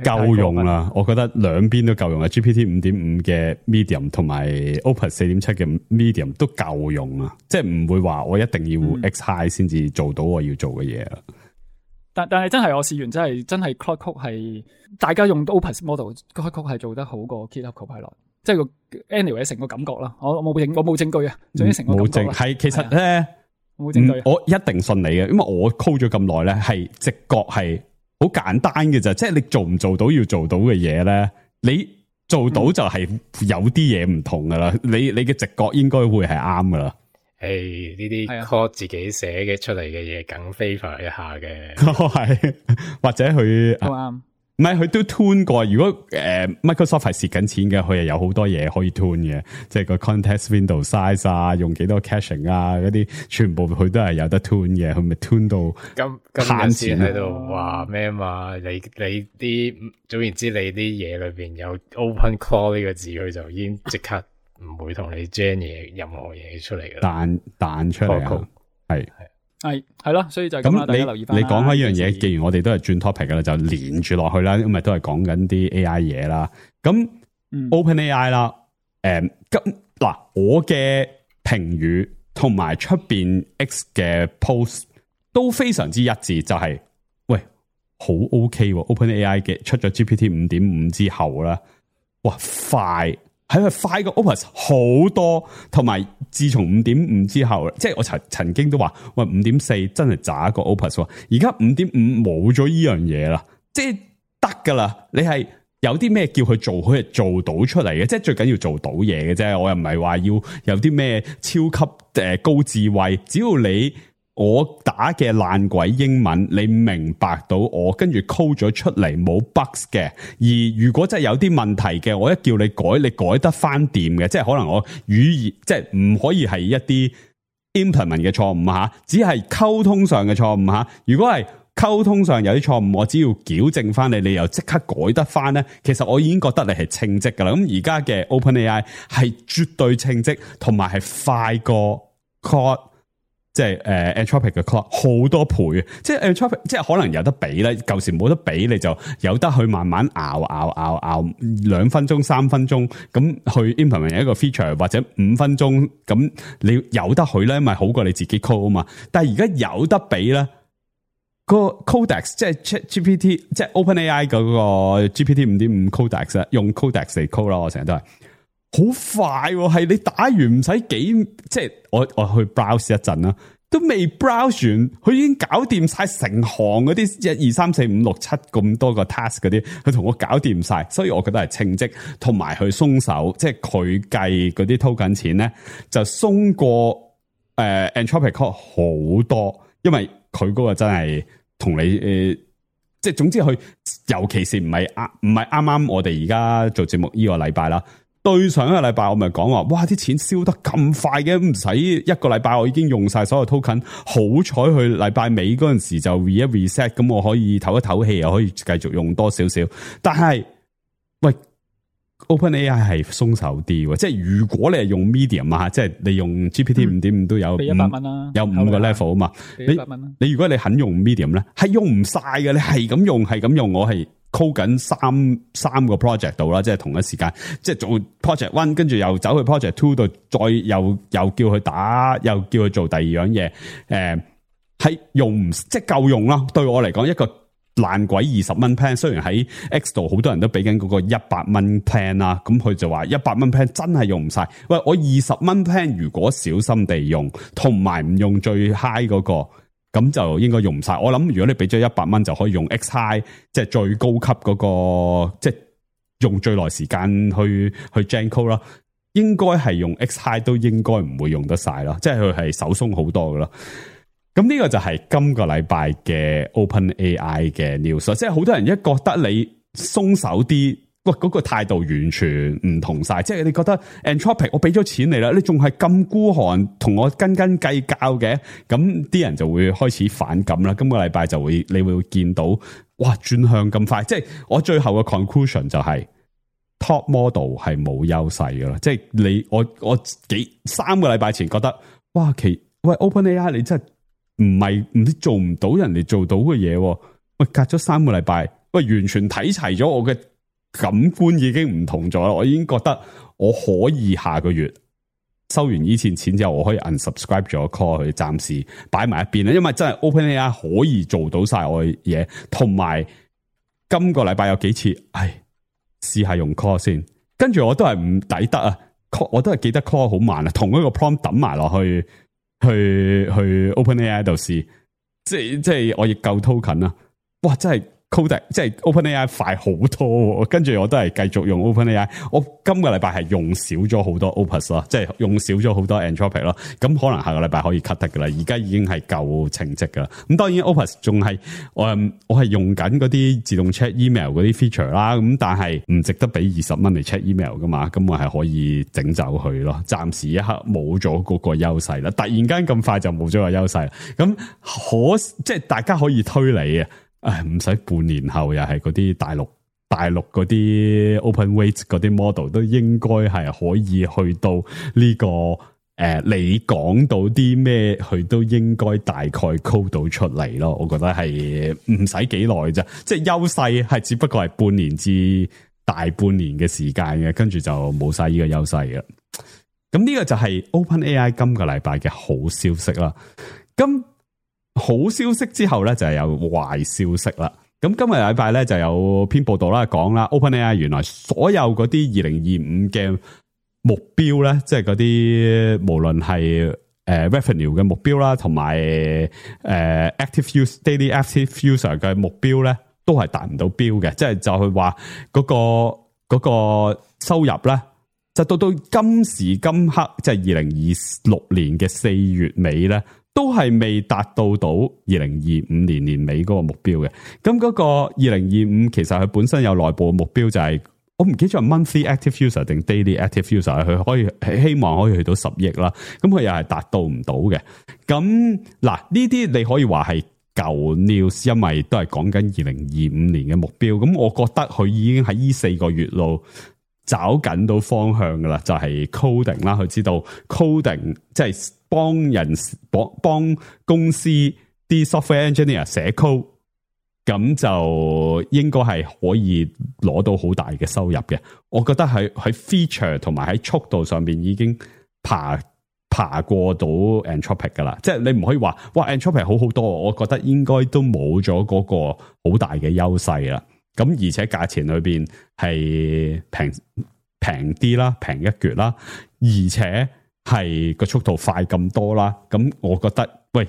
夠用啦，我覺得兩邊都夠用啊 ！G P T 五點五嘅 medium 同埋 Opus 四點七嘅 medium 都夠用啊！即係唔會話我一定要 X high 先至做到我要做嘅嘢啦。但但係真係我試完真係真係 Claude Code 係大家用 Opus model，Claude Code 係做得好過 GitHub Copilot， 即係個 anyway 成個感覺啦。我冇證我冇證據啊，總之成個感覺啦。係其實咧，冇證據，我一定信你嘅，因為我 code 咗咁耐咧，係直覺係。好簡單嘅咋，即係你做唔做到要做到嘅嘢咧，你做到就係有啲嘢唔同噶啦。你你嘅直覺應該會係啱噶啦。誒，呢啲 code 自己寫嘅出嚟嘅嘢，梗 favor 一下嘅。係或者佢都啱。唔係佢都 tune 過，如果誒、呃、Microsoft 係蝕緊錢嘅，佢係有好多嘢可以 tune 嘅，即係個 context window size 啊，用幾多 caching 啊，嗰啲全部佢都係有得 tune 嘅，佢咪 tune 到慳錢喺度話咩嘛？你你啲總言之，你啲嘢裏邊有 open call 呢個字，佢就已經即刻唔會同你 gen 嘢任何嘢出嚟嘅，彈彈出嚟啊，係。係係咯，所以就咁啦。大家留意翻。你講開呢樣嘢，既然我哋都係轉 topic 噶啦，就連住落去啦，因為都係講緊啲 A I 嘢啦。咁、嗯、OpenAI 啦，誒、嗯，咁嗱，我嘅評語同埋出邊 X 嘅 post 都非常之一致，就係、是、喂，好 OK，OpenAI 嘅出咗 G P T 五點五之後啦，哇，快！係佢快過 Opus 好多，同埋自從五點五之後，即係我曾曾經都話，喂，五點四真係渣過 Opus，而家五點五冇咗依樣嘢啦，即係得噶啦。你係有啲咩叫佢做，佢係做到出嚟嘅，即係最緊要做到嘢嘅啫。我又唔係話要有啲咩超級誒高智慧，只要你。我打嘅爛鬼英文，你明白到我跟住 code 咗出嚟冇 bugs 嘅。而如果真係有啲問題嘅，我一叫你改，你改得翻掂嘅，即係可能我語言即係唔可以係一啲 implement 嘅錯誤吓，只係溝通上嘅錯誤吓。如果係溝通上有啲錯誤，我只要矯正翻你，你又即刻改得翻咧，其實我已經覺得你係稱職噶啦。咁而家嘅 OpenAI 係絕對稱職，同埋係快過 Claude。即係誒 Anthropic 嘅 Claude 好多倍，即係 Anthropic 即係可能有得比咧，舊時冇得比，你就有得去慢慢熬熬熬熬兩分鐘、三分鐘咁去 implement 一個 feature， 或者五分鐘咁你有得去咧，咪好過你自己 code 啊嘛。但係而家有得比咧，個 Codex 即係 ChatGPT 即係 OpenAI 嗰個 G P T 五點五 Codex 用 Codex 嚟 code 啦，我成日都係。好快喎，係你打完唔使幾，即係我我去 browse 一陣啦，都未 browse 完，佢已經搞掂晒成行嗰啲一二三四五六七咁多個 task 嗰啲，佢同我搞掂晒，所以我覺得係稱職，同埋佢鬆手，即係佢計嗰啲偷緊錢咧，就鬆過誒、呃、Anthropic 好多，因為佢嗰個真係同你誒、呃，即係總之佢，尤其是唔係啱唔係啱啱我哋而家做節目呢個禮拜啦。對上一個禮拜我咪講話，哇啲錢燒得咁快嘅，唔使一個禮拜我已經用晒所有 token， 好彩去禮拜尾嗰陣時就 re 一 reset， 咁我可以唞一唞氣，又可以繼續用多少少。但係喂 OpenAI 係鬆手啲，即係如果你係用 medium 啊，即係你用 G P T 五點五都有俾一百蚊啦，有五個 level 啊嘛，一百蚊啦。你如果你肯用 medium 咧，係用唔晒嘅，你係咁用係咁用，我係。code 緊三三個 project 度啦，即係同一時間，即係做 project one， 跟住又走去 project two 度，再又又叫佢打，又叫佢做第二樣嘢，誒、呃，係用唔即係夠用啦。對我嚟講，一個爛鬼二十蚊 plan， 雖然喺 X 度好多人都俾緊嗰個一百蚊 plan 啦，咁佢就話一百蚊 plan 真係用唔晒。喂，我二十蚊 plan 如果小心地用，同埋唔用最 high 嗰個。咁就應該用唔晒。我諗如果你俾咗一百蚊就可以用 X High，即係最高級嗰個，即係用最耐時間去去 gen code 啦。應該係用 X-High 都應該唔會用得晒咯，即係佢係手鬆好多噶咯。咁呢個就係今個禮拜嘅 OpenAI 嘅 news， 即係好多人一覺得你鬆手啲，喂嗰個態度完全唔同晒，即係你覺得 Anthropic 我俾咗錢你啦，你仲係咁孤寒，同我斤斤計較嘅，咁啲人就會開始反感啦。今個禮拜就會你會見到，哇轉向咁快，即係我最後嘅 conclusion 就係、是。Top model 係冇優勢噶啦，即係你我我幾三個禮拜前覺得，哇其喂 OpenAI 你真係唔係唔知做唔到人哋做到嘅嘢，喂隔咗三個禮拜，喂完全睇齊咗，我嘅感官已經唔同咗啦，我已經覺得我可以下個月收完以前錢之後，我可以 unsubscribe 咗 call 佢，暫時擺埋一邊啦，因為真係 OpenAI 可以做到晒我嘅嘢，同埋今個禮拜有幾次，唉。試下用 call 先，跟住我都係唔抵得啊 ！call 我都係記得 call 好慢啊，同一個 prompt 抌埋落去，去去 OpenAI 度試，即係即係我亦夠 token 啊！哇，真係 code 即係 OpenAI 快好多，跟住我都係繼續用 OpenAI。我今個禮拜係用少咗好多 Opus 咯，即係用少咗好多 Anthropic 咯。咁可能下個禮拜可以 cut 得噶啦，而家已經係夠成績噶啦。咁當然 Opus 仲係我我係用緊嗰啲自動 check email 嗰啲 feature 啦。咁但係唔值得俾二十蚊嚟 check email 噶嘛。咁我係可以整走佢咯。暫時一刻冇咗嗰個優勢啦。突然間咁快就冇咗個優勢啦。咁可即係大家可以推理啊。唉，唔使半年後又係嗰啲大陸大陸嗰啲 open weight 嗰啲 model 都應該係可以去到呢、這個誒、呃，你講到啲咩，佢都應該大概 code 到出嚟咯。我覺得係唔使幾耐啫，即係優勢係只不過係半年至大半年嘅時間嘅，跟住就冇晒呢個優勢嘅。咁呢個就係 OpenAI 今個禮拜嘅好消息啦。咁好消息之後咧就係有壞消息啦。咁今日禮拜咧就有篇報道啦，講啦 OpenAI 原來所有嗰啲二零二五嘅目標咧，即係嗰啲無論係誒 revenue 嘅目標啦，同埋誒 active use daily active user 嘅目標咧，都係達唔到標嘅。即係就係話嗰個嗰個收入咧，就到到今時今刻，即係二零二六年嘅四月尾咧，都係未達到到二零二五年年尾嗰個目標嘅。咁嗰個二零二五其實佢本身有內部嘅目標就係、是，我唔記得咗 monthly active user 定 daily active user， 佢可以希望可以去到十億啦。咁佢又係達到唔到嘅。咁嗱呢啲你可以話係舊 news， 因為都係講緊二零二五年嘅目標。咁我覺得佢已經喺呢四個月度找緊到方向噶啦，就係、是、coding 啦。佢知道 coding 即係幫人幫幫公司啲 software engineer 寫 code， 咁就應該係可以攞到好大嘅收入嘅。我覺得喺喺 feature 同埋喺速度上邊已經爬爬過到 Anthropic 噶啦。即係你唔可以話哇 Anthropic 好好多，我覺得應該都冇咗嗰個好大嘅優勢啦。咁而且價錢裏邊係平平啲啦，平一橛啦，而且係個速度快咁多啦。咁我覺得喂，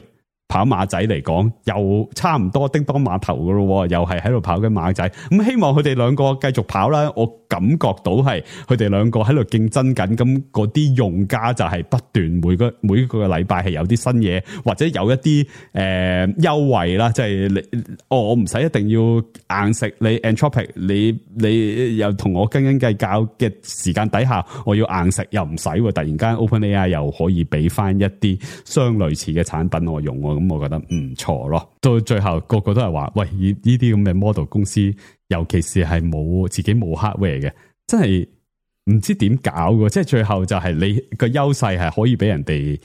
跑馬仔嚟講又差唔多叮當碼頭噶咯，又係喺度跑緊馬仔。咁希望佢哋兩個繼續跑啦。我感覺到係佢哋兩個喺度競爭緊，咁嗰啲用家就係不斷每個每個禮拜係有啲新嘢，或者有一啲誒優惠啦。即係你哦，我唔使一定要硬食你 Anthropic， 你你又同我斤斤計較嘅時間底下，我要硬食又唔使。突然間 OpenAI 又可以俾翻一啲相類似嘅產品我用，咁我覺得唔錯咯。到最後個個都係話，喂，呢啲咁嘅 model 公司，尤其是係冇自己冇 hardware 嘅，真係唔知點搞嘅。即係最後就係你個優勢係可以俾人哋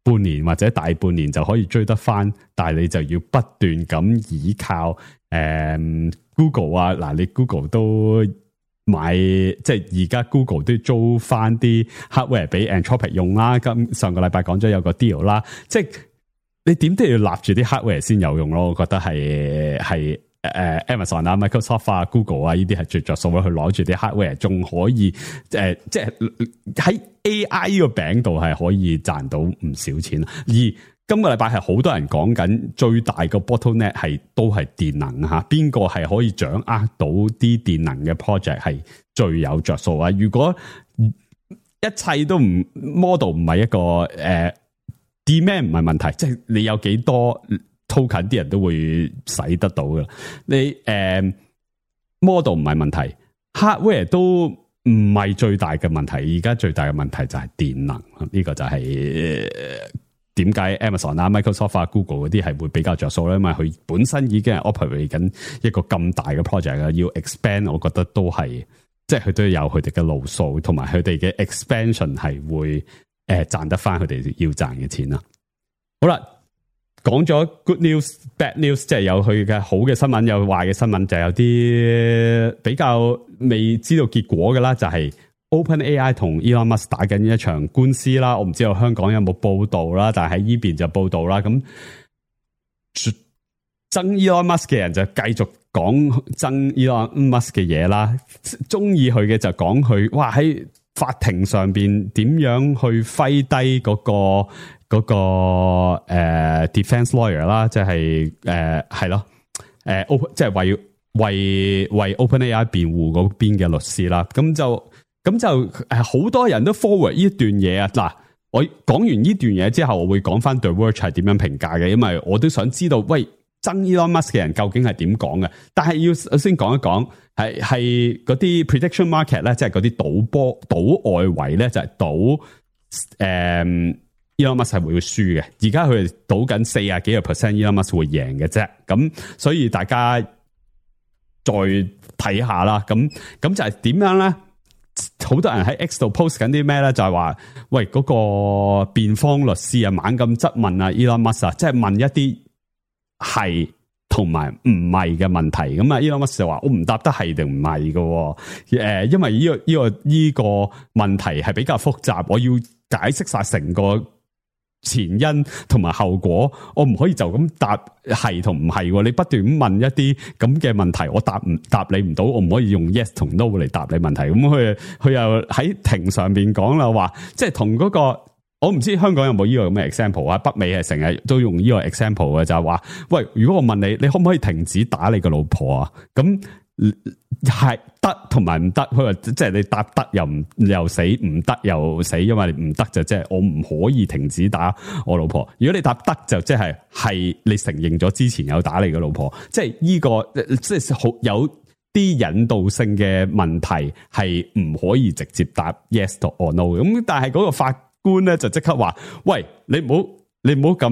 半年或者大半年就可以追得翻，但係你就要不斷咁依靠誒、嗯、Google 啊。嗱，你 Google 都買，即係而家 Google 都租翻啲 hardware 俾 Anthropic 用啦。咁上個禮拜講咗有個 deal 啦，即係你點都要立住啲 hardware 先有用咯。我覺得係係。誒、uh, ，Amazon 啊、Microsoft 啊、Google 啊，呢啲係最着數嘅，去攞住啲 hardware， 仲可以誒、呃，即係喺 A I 呢個餅度係可以賺到唔少錢。而今個禮拜係好多人講緊最大個 bottleneck 係都係電能吓，邊個係可以掌握到啲電能嘅 project 係最有着數啊？如果一切都唔 model 唔係一個誒、呃、demand 唔係問題，即係你有幾多 token 啲人都會使得到㗎。你誒、呃、model 唔係問題 ，hardware 都唔係最大嘅問題。而家最大嘅問題就係電能，呢、這個就係點解 Amazon 啊、Microsoft 啊、Google 嗰啲係會比較着數咧？因為佢本身已經係 operate 緊一個咁大嘅 project 啊，要 expand， 我覺得都係。即係佢都有佢哋嘅路數，同埋佢哋嘅 expansion 係會誒賺、呃、得翻佢哋要賺嘅錢啦。好啦，講咗 good news、bad news， 即係有佢嘅好嘅新聞，有壞嘅新聞，就有啲比較未知道結果嘅啦。就係、是、OpenAI 同 Elon Musk 打緊一場官司啦。我唔知道香港有冇報道啦，但係喺呢邊就報道啦。咁憎 Elon Musk 嘅人就繼續講憎 Elon Musk 嘅嘢啦，中意佢嘅就講佢，哇喺法庭上邊點樣去揮低嗰、嗰個、嗰個誒、呃、defense lawyer 啦，即係誒係咯，誒 open 即係為為為 OpenAI 辯護嗰邊嘅律師啦，咁就咁就誒好多人都 forward 呢段嘢啊。嗱，我講完呢段嘢之後，我會講翻 The Verge 係點樣評價嘅，因為我都想知道，喂。憎 Elon Musk 嘅人究竟係點講嘅？但係要先講一講，係係嗰啲 prediction market 咧，即係嗰啲賭波賭外圍咧，就係賭誒 Elon Musk 係會輸嘅。而家佢哋賭緊四十幾個 percent Elon Musk 會贏嘅啫。咁所以大家再睇下啦。咁咁就係點樣咧？好多人喺 X 度 post 緊啲咩咧？就係話，喂嗰個辯方律師啊，猛咁質問啊 Elon Musk 啊，即係問一啲。係同埋唔係嘅問題，咁啊 Elon Musk 就話我唔答得係定唔係嘅，誒，因為呢、這個呢、這個呢、這個問題係比較複雜，我要解釋晒成個前因同埋後果，我唔可以就咁答係同唔係，你不斷咁問一啲咁嘅問題，我答唔答你唔到，我唔可以用 yes 同 no 嚟答你問題，咁佢佢又喺庭上邊講啦，話即係同嗰個。我唔知香港有冇呢個咁嘅 example 啊？北美係成日都用呢個 example 嘅，就係話，喂，如果我問你，你可唔可以停止打你個老婆啊？咁係得同埋唔得，佢話即係你答得又唔又死，唔得又死，因為唔得就即係我唔可以停止打我老婆。如果你答得就即係係你承認咗之前有打你個老婆，即係呢個即係好有啲引導性嘅問題係唔可以直接答 yes or no。咁但係嗰個法官咧就即刻話，喂，你唔好你唔好咁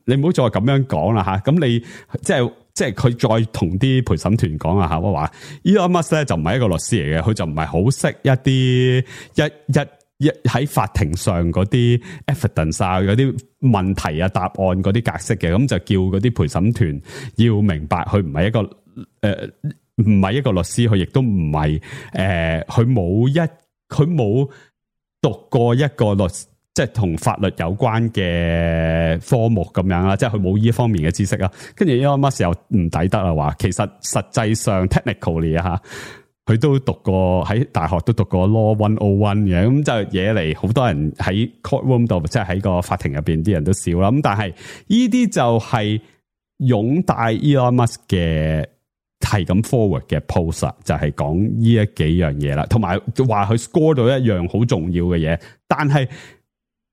你唔好再咁樣講啦吓，咁你即係即係佢再同啲陪審團講啊吓，我話 Elon Musk 咧就唔係一個律師嚟嘅，佢就唔係好識一啲一一一喺法庭上嗰啲 evidence 啊嗰啲問題啊答案嗰啲格式嘅，咁就叫嗰啲陪審團要明白佢唔係一個誒唔係一個律師，佢亦都唔係誒佢冇一佢冇讀過一個律。即係同法律有關嘅科目咁樣啦，即係佢冇呢方面嘅知識啦。跟住 Elon Musk 又唔抵得啦，話其實實際上 technically 啊吓，佢都讀過喺大學都讀過 Law one oh one 嘅，咁就惹嚟好多人喺 courtroom 度，即係喺個法庭入邊啲人都笑啦。咁但係呢啲就係擁戴 Elon Musk 嘅係咁 forward 嘅 post， 就係講呢一幾樣嘢啦，同埋話佢 score 到一樣好重要嘅嘢，但係。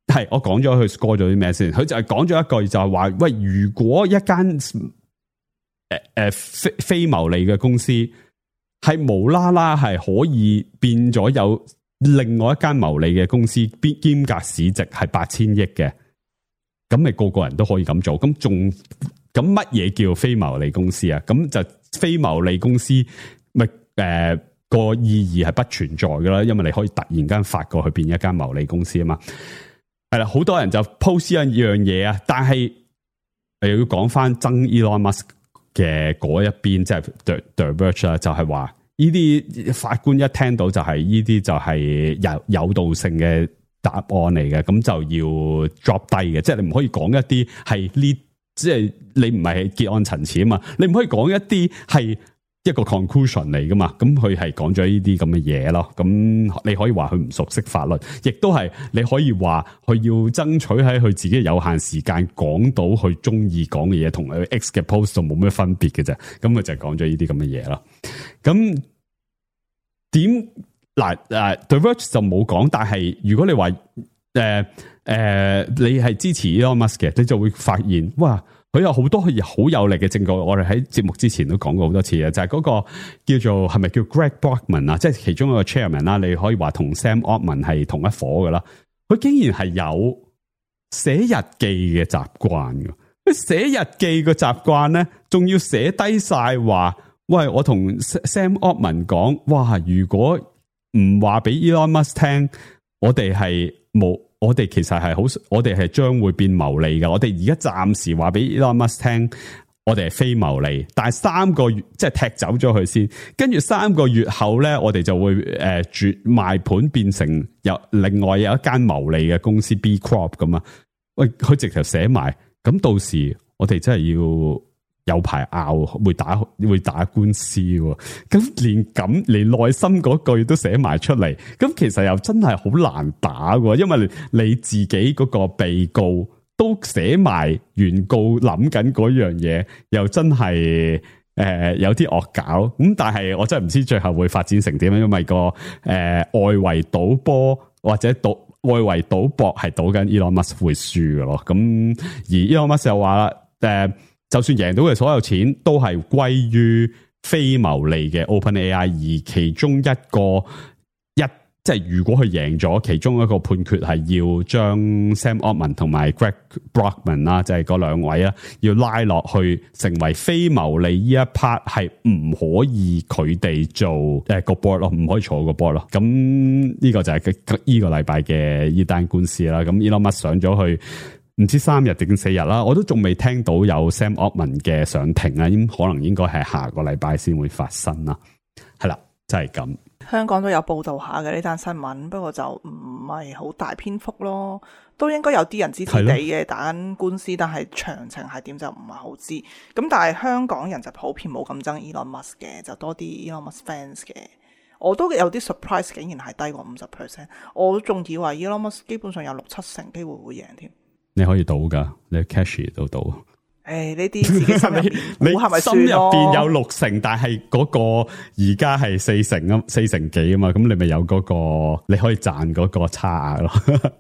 係，我講咗佢 score 咗啲咩先？佢就係講咗一句就係話，喂，如果一間誒誒非非牟利嘅公司係無啦啦係可以變咗有另外一間牟利嘅公司，兼夾市值係八千億嘅，咁咪個個人都可以咁做？咁仲咁乜嘢叫非牟利公司啊？咁就非牟利公司咪誒個意義係不存在噶啦，因為你可以突然間發過去變一間牟利公司啊嘛。係啦，好多人就 post 一樣嘢啊，但係又要講翻憎 Elon Musk 嘅嗰一邊，即係 The The Verge 啦，就係話呢啲法官一聽到就係呢啲就係有有道性嘅答案嚟嘅，咁就要 drop 低嘅，即係你唔可以講一啲係呢，即係你唔係結案陳詞啊嘛，你唔可以講一啲係一個 conclusion 嚟噶嘛，咁佢係講咗呢啲咁嘅嘢咯，咁你可以話佢唔熟悉法律，亦都係你可以話佢要爭取喺佢自己有限時間講到佢中意講嘅嘢，同佢 X 嘅 post 冇咩分別嘅啫，咁佢就講咗呢啲咁嘅嘢咯。咁點嗱誒 The Verge 就冇講，但係如果你話誒誒你係支持 Elon Musk 嘅，你就會發現哇，佢有好多好有力嘅證據。我哋喺節目之前都講過好多次嘅，就係、是、嗰個叫做係咪叫 Greg Brockman 啊，即係其中一個 chairman 啦，你可以話同 Sam Altman 係同一伙噶啦。佢竟然係有寫日記嘅習慣嘅，佢寫日記嘅習慣咧，仲要寫低晒話，喂，我同 Sam Altman 講，哇，如果唔話俾 Elon Musk 聽，我哋係冇。我哋其實係好，我哋係將會變牟利嘅。我哋而家暫時話俾 Elon Musk 聽，我哋係非牟利。但係三個月即係踢走咗佢先，跟住三個月後咧，我哋就會誒轉賣盤變成有另外有一間牟利嘅公司 B Corp 咁啊。喂，佢直頭寫埋，咁到時我哋真係要有排拗，會打會打官司喎。咁連咁連內心嗰句都寫埋出嚟，咁其實又真係好難打喎。因為你自己嗰個被告都寫埋原告諗緊嗰樣嘢，又真係誒、呃、有啲惡搞。咁但係我真係唔知最後會發展成點樣，因為個誒、呃、外圍賭波或者賭外圍賭博係賭緊 Elon Musk 會輸嘅咯。咁而 Elon Musk 又話啦，誒、呃。就算贏到嘅所有錢都係歸於非牟利嘅 OpenAI， 而其中一個一即係如果佢贏咗，其中一個判決係要將 Sam Altman 同埋 Greg Brockman 啦，即係嗰兩位啊，要拉落去成為非牟利呢一 part 係唔可以佢哋做誒個 board 咯，唔可以坐個 board 咯。咁呢個就係呢個禮拜嘅呢單官司啦。咁 Elon Musk 上咗去。唔知三日定四日啦，我都仲未聽到有 Sam Altman 嘅上庭啊，應可能應該係下個禮拜先會發生啦。係啦，就係咁。香港都有報道下嘅呢單新聞，不過就唔係好大篇幅咯。都應該有啲人支持你嘅打緊官司，但係詳情係點就唔係好知。咁但係香港人就普遍冇咁憎 Elon Musk 嘅，就多啲 Elon Musk fans 嘅。我都有啲 surprise， 竟然係低過五十 percent。我仲以為 Elon Musk 基本上有六七成機會會贏添。你可以賭噶，你 cash 都賭。誒，呢啲自己心入邊，你係咪心入邊有六成，但係嗰個而家係四成啊，四成幾啊嘛，咁你咪有嗰個，你可以賺嗰個差額咯。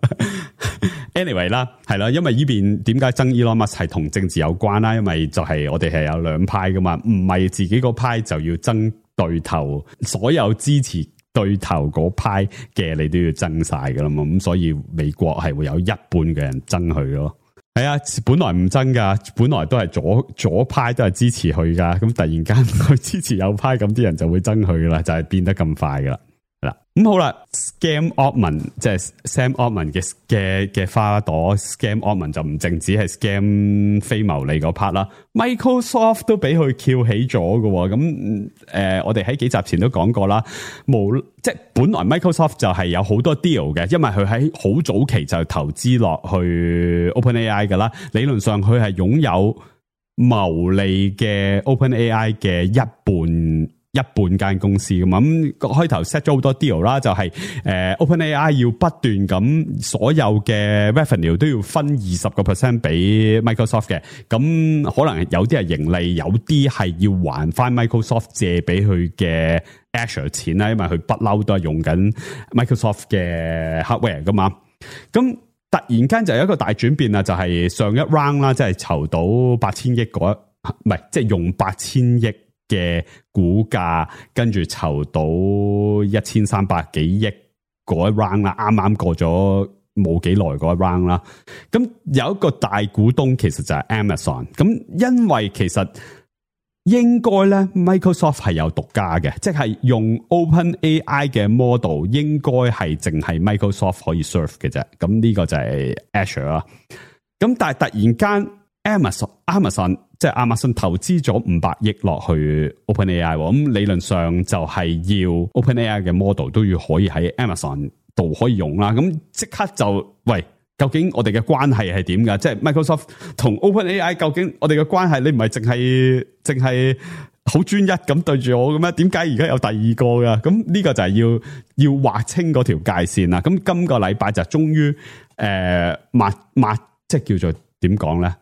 anyway 啦，係啦，因為呢邊點解爭 Elon Musk 係同政治有關啦？因為就係我哋係有兩派噶嘛，唔係自己個派就要爭對頭，所有支持對頭嗰派嘅你都要爭晒噶啦嘛，咁所以美國係會有一半嘅人爭佢咯。係啊，本來唔爭噶，本來都係左左派都係支持佢噶，咁突然間佢支持右派，咁啲人就會爭佢噶啦，就係、是、變得咁快噶啦。嗱，咁好啦 ，Scam Altman 即係 Sam Altman 嘅嘅嘅花朵 ，Scam Altman 就唔淨止係 Scam 非牟利嗰 part 啦 ，Microsoft 都俾佢翹起咗嘅，咁誒、呃，我哋喺幾集前都講過啦，無即係本來 Microsoft 就係有好多 deal 嘅，因為佢喺好早期就投資落去 OpenAI 噶啦，理論上佢係擁有牟利嘅 OpenAI 嘅一半。一半間公司噶嘛，咁開頭 set 咗好多 deal 啦，就係誒 OpenAI 要不斷咁所有嘅 revenue 都要分二十個 percent 俾 Microsoft 嘅，咁可能有啲係盈利，有啲係要還翻 Microsoft 借俾佢嘅 Azure 錢啦，因為佢不嬲都係用緊 Microsoft 嘅 hardware 噶嘛，咁突然間就有一個大轉變啦，就係上一 round 啦，即係籌到八千億嗰唔係即係用八千億嘅股價，跟住籌到一千三百幾億嗰一 round 啦，啱啱過咗冇幾耐嗰一 round 啦。咁有一個大股東其實就係 Amazon。咁因為其實應該咧 Microsoft 係有獨家嘅，即係用 OpenAI 嘅 model 應該係淨係 Microsoft 可以 serve 嘅啫。咁呢個就係 Azure 啦。咁但係突然間 Amazon Amazon 即係亞馬遜投資咗五百億落去 OpenAI， 咁理論上就係要 OpenAI 嘅 model 都要可以喺 Amazon 度可以用啦。咁即刻就喂，究竟我哋嘅關係係點噶？即係 Microsoft 同 OpenAI 究竟我哋嘅關係，你唔係淨係淨係好專一咁對住我嘅咩？點解而家有第二個噶？咁呢個就係要要劃清嗰條界線啦。咁今個禮拜就終於誒抹抹，即係叫做點講咧？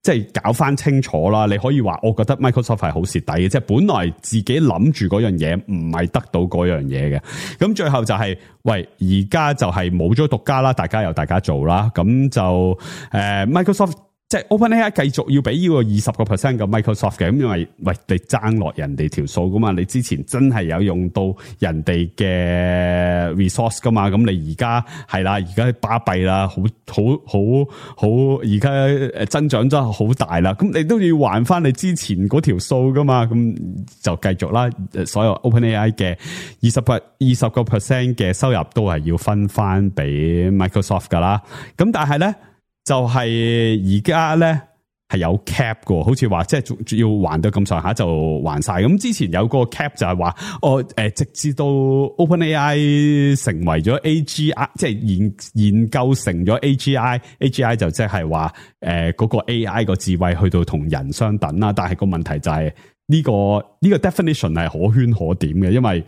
即係搞翻清楚啦。你可以話我覺得 Microsoft 係好蝕底嘅，即係本來自己諗住嗰樣嘢唔係得到嗰樣嘢嘅。咁最後就係、是、喂，而家就係冇咗獨家啦，大家由大家做啦。咁就誒、呃、Microsoft。即係 OpenAI 繼續要俾呢個二十個 percent 嘅 Microsoft 嘅，咁因為喂你爭落人哋條數噶嘛，你之前真係有用到人哋嘅 resource 噶嘛，咁你而家係啦，而家巴閉啦，好好好好，而家誒增長真係好大啦，咁你都要還翻你之前嗰條數噶嘛，咁就繼續啦，所有 OpenAI 嘅二十 per 二十個 percent 嘅收入都係要分翻俾 Microsoft 噶啦，咁但係咧。就係而家咧係有 cap 嘅，好似話即係要還到咁上下就還晒。咁之前有個 cap 就係話，哦誒，直至到 OpenAI 成為咗 A G I， 即係研研究成咗 A G I，A G I 就即係話誒嗰個 A I 個智慧去到同人相等啦。但係個問題就係呢個呢個 definition 係可圈可點嘅，因為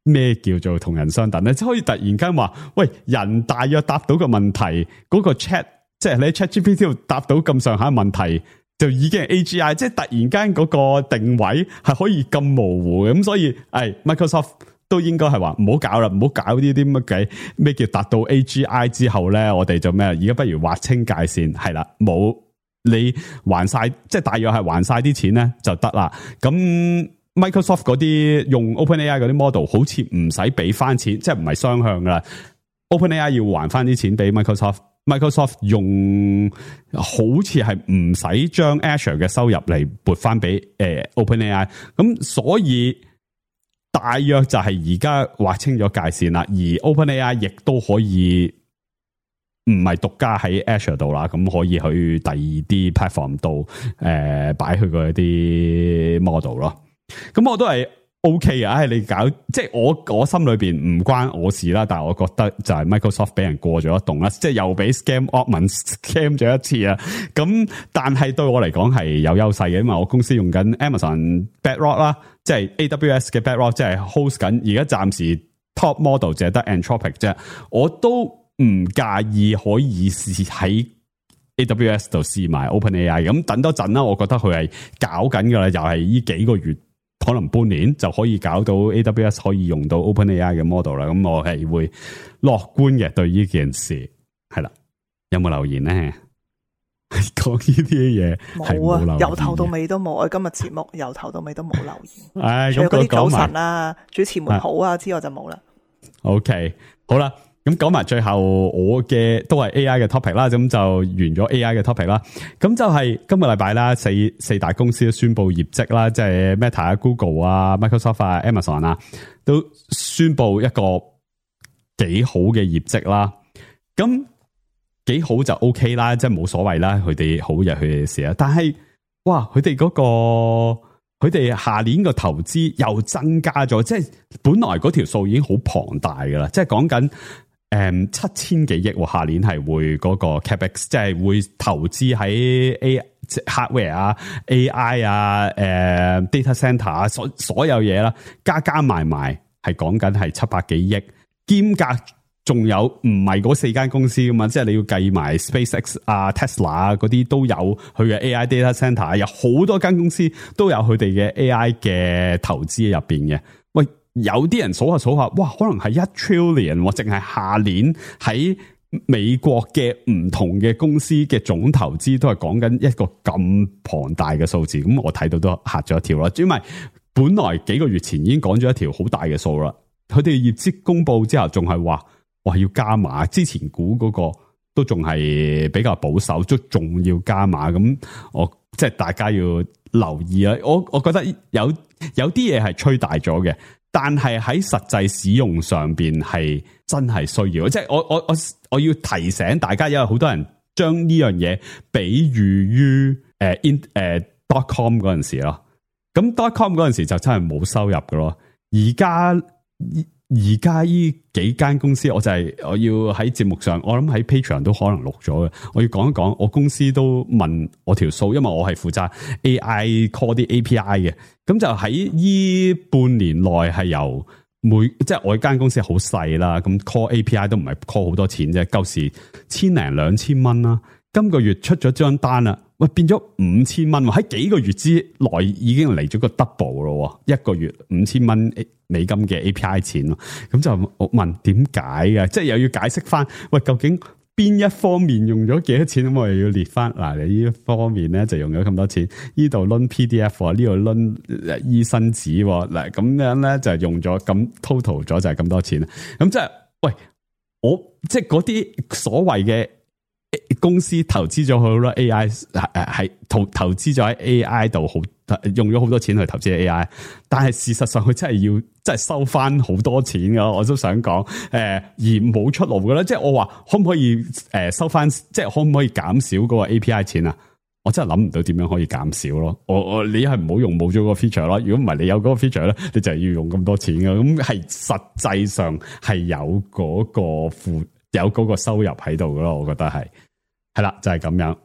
咩叫做同人相等咧？即係可以突然間話，喂，人大約答到個問題，嗰個 chat。即係你喺 ChatGPT 度答到咁上下問題，就已經係 A G I， 即係突然間嗰個定位係可以咁模糊嘅，咁所以誒 Microsoft 都應該係話唔好搞啦，唔好搞呢啲乜計咩叫達到 A G I 之後咧，我哋就咩？而家不如劃清界線，係啦，冇你還晒，即係大約係還晒啲錢咧就得啦。咁 Microsoft 嗰啲用 OpenAI 嗰啲 model 好似唔使俾翻錢，即係唔係雙向噶啦。OpenAI 要還翻啲錢俾 Microsoft。Microsoft 用好似係唔使將 Azure 嘅收入嚟撥翻俾誒 OpenAI， 咁所以大約就係而家劃清咗界線啦，而 OpenAI 亦都可以唔係獨家喺 Azure 度啦，咁可以去第二啲 platform 度誒擺佢嗰啲 model 咯，咁我都係。O K 啊，你搞即係我我心裏邊唔關我事啦，但係我覺得就係 Microsoft 俾人過咗一洞啦，即係又俾 scam Altman scam 咗一次啊。咁但係對我嚟講係有優勢嘅，因為我公司用緊 Amazon Bedrock 啦，即係 A W S 嘅 Bedrock，即係 host 緊。而家暫時 top model 淨係得 Anthropic 啫，我都唔介意可以試喺 A W S 度試埋 OpenAI。咁等多陣啦，我覺得佢係搞緊噶啦，又係呢幾個月。可能半年就可以搞到 A W S 可以用到 OpenAI 嘅 model 啦，咁我係會樂觀嘅對呢件事係啦。有冇留言咧？講呢啲嘢冇啊，由頭到尾都冇。我今日節目由頭到尾都冇留言。唉，除咗嗰啲早晨啊，主持們好啊之外就冇啦。OK， 好啦。咁講埋最後我嘅都係 A I 嘅 topic 啦，咁就完咗 A I 嘅 topic 啦。咁就係今個禮拜啦，四四大公司都宣布業績啦，即係 Meta 啊、Google 啊、Microsoft 啊、Amazon 啊，都宣布一個幾好嘅業績啦。咁幾好就 OK 啦，即係冇所謂啦，佢哋好就佢哋事啦。但係哇，佢哋嗰個。佢哋下年個投資又增加咗，即係本來嗰條數已經好龐大噶啦，即係講緊誒七千幾億，下年係會嗰個 capex， 即係會投資喺 A hardware 啊、A I 啊、誒、呃、data center 啊，所所有嘢啦，加加埋埋係講緊係七百幾億，兼夾。仲有唔係嗰四間公司噶嘛？即係你要計埋 SpaceX 啊、Tesla 啊嗰啲都有佢嘅 A I data center， 有好多間公司都有佢哋嘅 A I 嘅投資入邊嘅。喂，有啲人數下數下，哇，可能係一 trillion， 或淨係下年喺美國嘅唔同嘅公司嘅總投資都係講緊一個咁龐大嘅數字。咁我睇到都嚇咗一跳啦，因為本來幾個月前已經講咗一條好大嘅數啦。佢哋業績公布之後，仲係話。哇！要加碼，之前估嗰個都仲係比較保守，都仲要加碼。咁我即係大家要留意啊！我我覺得有有啲嘢係吹大咗嘅，但係喺實際使用上邊係真係需要。即係我我我我要提醒大家，因為好多人將呢樣嘢比喻於誒 in 誒 dot com 嗰陣時咯。咁 dot com 嗰陣時就真係冇收入㗎咯。而家而家呢幾間公司，我就係、是、我要喺節目上，我諗喺 Patreon 都可能錄咗嘅。我要講一講，我公司都問我條數，因為我係負責 A I call 啲 A P I 嘅。咁就喺呢半年內係由每即係我間公司好細啦，咁 call A P I 都唔係 call 好多錢啫，舊時千零兩千蚊啦。今個月出咗張單啦，喂變咗五千蚊，喺幾個月之內已經嚟咗個 double 咯，一個月五千蚊美金嘅 A P I 錢咯。咁就我問點解嘅，即係又要解釋翻，喂究竟邊一方面用咗幾多錢，咁我又要列翻嗱，你呢一方面咧就用咗咁多錢，呢度掄 P D F， 呢度掄醫生紙，嗱咁樣咧就用咗咁 total 咗就係咁多錢。咁即係喂我即係嗰啲所謂嘅公司投資咗好多 A I， 誒係投投資咗喺 A I 度，好用咗好多錢去投資 A I， 但係事實上佢真係要真係收翻好多錢噶，我都想講誒、呃、而冇出路噶啦，即係我話可唔可以誒收翻，即係可唔可以減少嗰個 A P I 錢啊？我真係諗唔到點樣可以減少咯。我我你係唔好用冇咗個 feature 咯，如果唔係你有嗰個 feature 咧，你就係要用咁多錢噶，咁係實際上係有嗰個負有嗰個收入喺度噶咯，我覺得係係啦，就係、是、咁樣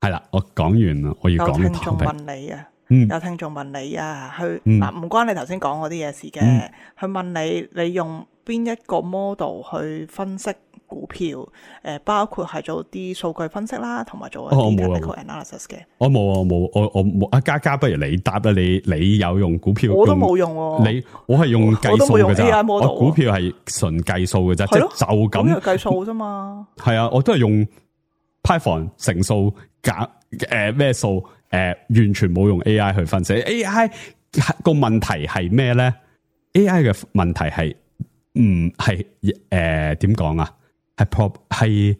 係啦。我講完啦，我要講。有聽眾問你啊，嗯、有聽眾問你啊，去嗱唔、嗯啊、關你頭先講嗰啲嘢事嘅，佢、嗯、問你你用邊一個 model 去分析股票？誒、呃，包括係做啲數據分析啦，同埋做一啲 technical analysis 嘅。我冇啊，冇，我我冇。阿嘉嘉，不如你答啦，你你有用股票？我都冇用喎。你我係用計數嘅咋？我股票係純計數嘅咋，即係就咁計數啫嘛。係啊，我都係用 Python 乘數減誒咩數誒，完全冇用 A I 去分析。A I 個問題係咩咧 ？A I 嘅問題係唔係誒點講啊？係 pro 係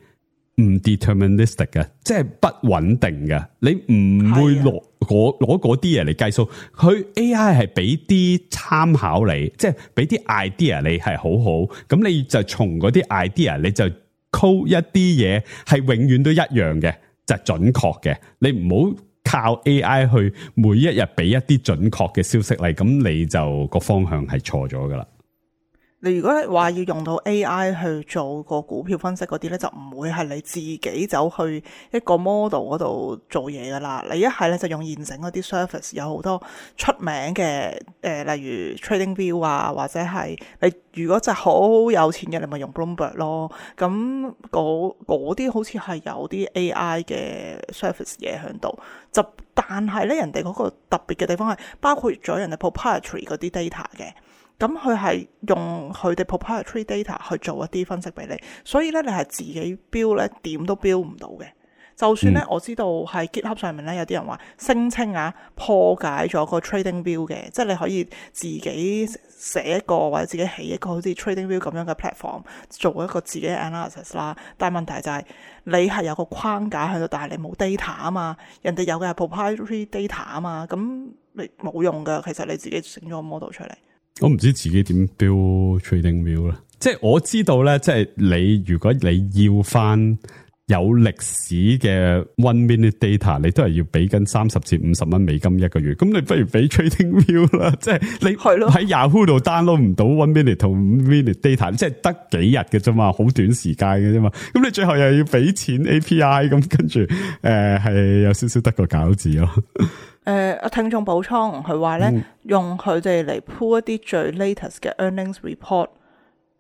唔 deterministic 嘅，即係不穩定嘅。你唔會攞攞攞嗰啲嘢嚟計數。佢 A I 係俾啲參考你，即係俾啲 idea 你係好好。咁你就從嗰啲 idea 你就 code 一啲嘢係永遠都一樣嘅，就係準確嘅。你唔好靠 A I 去每一日俾一啲準確嘅消息嚟，咁你就個方向係錯咗噶啦。你如果話要用到 A I 去做個股票分析嗰啲咧，就唔會係你自己走去一個 model 嗰度做嘢噶啦。你一係咧就用現成嗰啲 service， 有好多出名嘅誒、呃，例如 TradingView 啊，或者係你如果就係好有錢嘅，你咪用 Bloomberg 咯。咁嗰啲好似係有啲 A I 嘅 service 嘢喺度，就但係咧人哋嗰個特別嘅地方係包括咗人哋 proprietary 嗰啲 data 嘅。咁佢係用佢哋 proprietary data 去做一啲分析俾你，所以咧你係自己標咧點都標唔到嘅。就算咧、嗯、我知道喺 GitHub 上面咧有啲人話聲稱啊破解咗個 TradingView 嘅，即係你可以自己寫一個或者自己起一個好似 TradingView 咁樣嘅 platform 做一個自己嘅 analysis 啦。但係問題就係你係有個框架喺度，但係你冇 data 啊嘛，人哋有嘅係 proprietary data 啊嘛，咁你冇用噶。其實你自己整咗個 model 出嚟。我唔知自己點 build TradingView 啦，即係我知道咧，即係你如果你要翻有歷史嘅 one minute data， 你都係要俾緊三十至五十蚊美金一個月，咁你不如俾 TradingView 啦，即係你喺 Yahoo 度 download 唔到 one minute 同五 minute data， 即係得幾日嘅啫嘛，好短時間嘅啫嘛，咁你最後又要俾錢 A P I， 咁跟住誒係有少少得個餃子咯。誒、呃，聽眾補充，佢話咧用佢哋嚟 pull 一啲最 latest 嘅 earnings report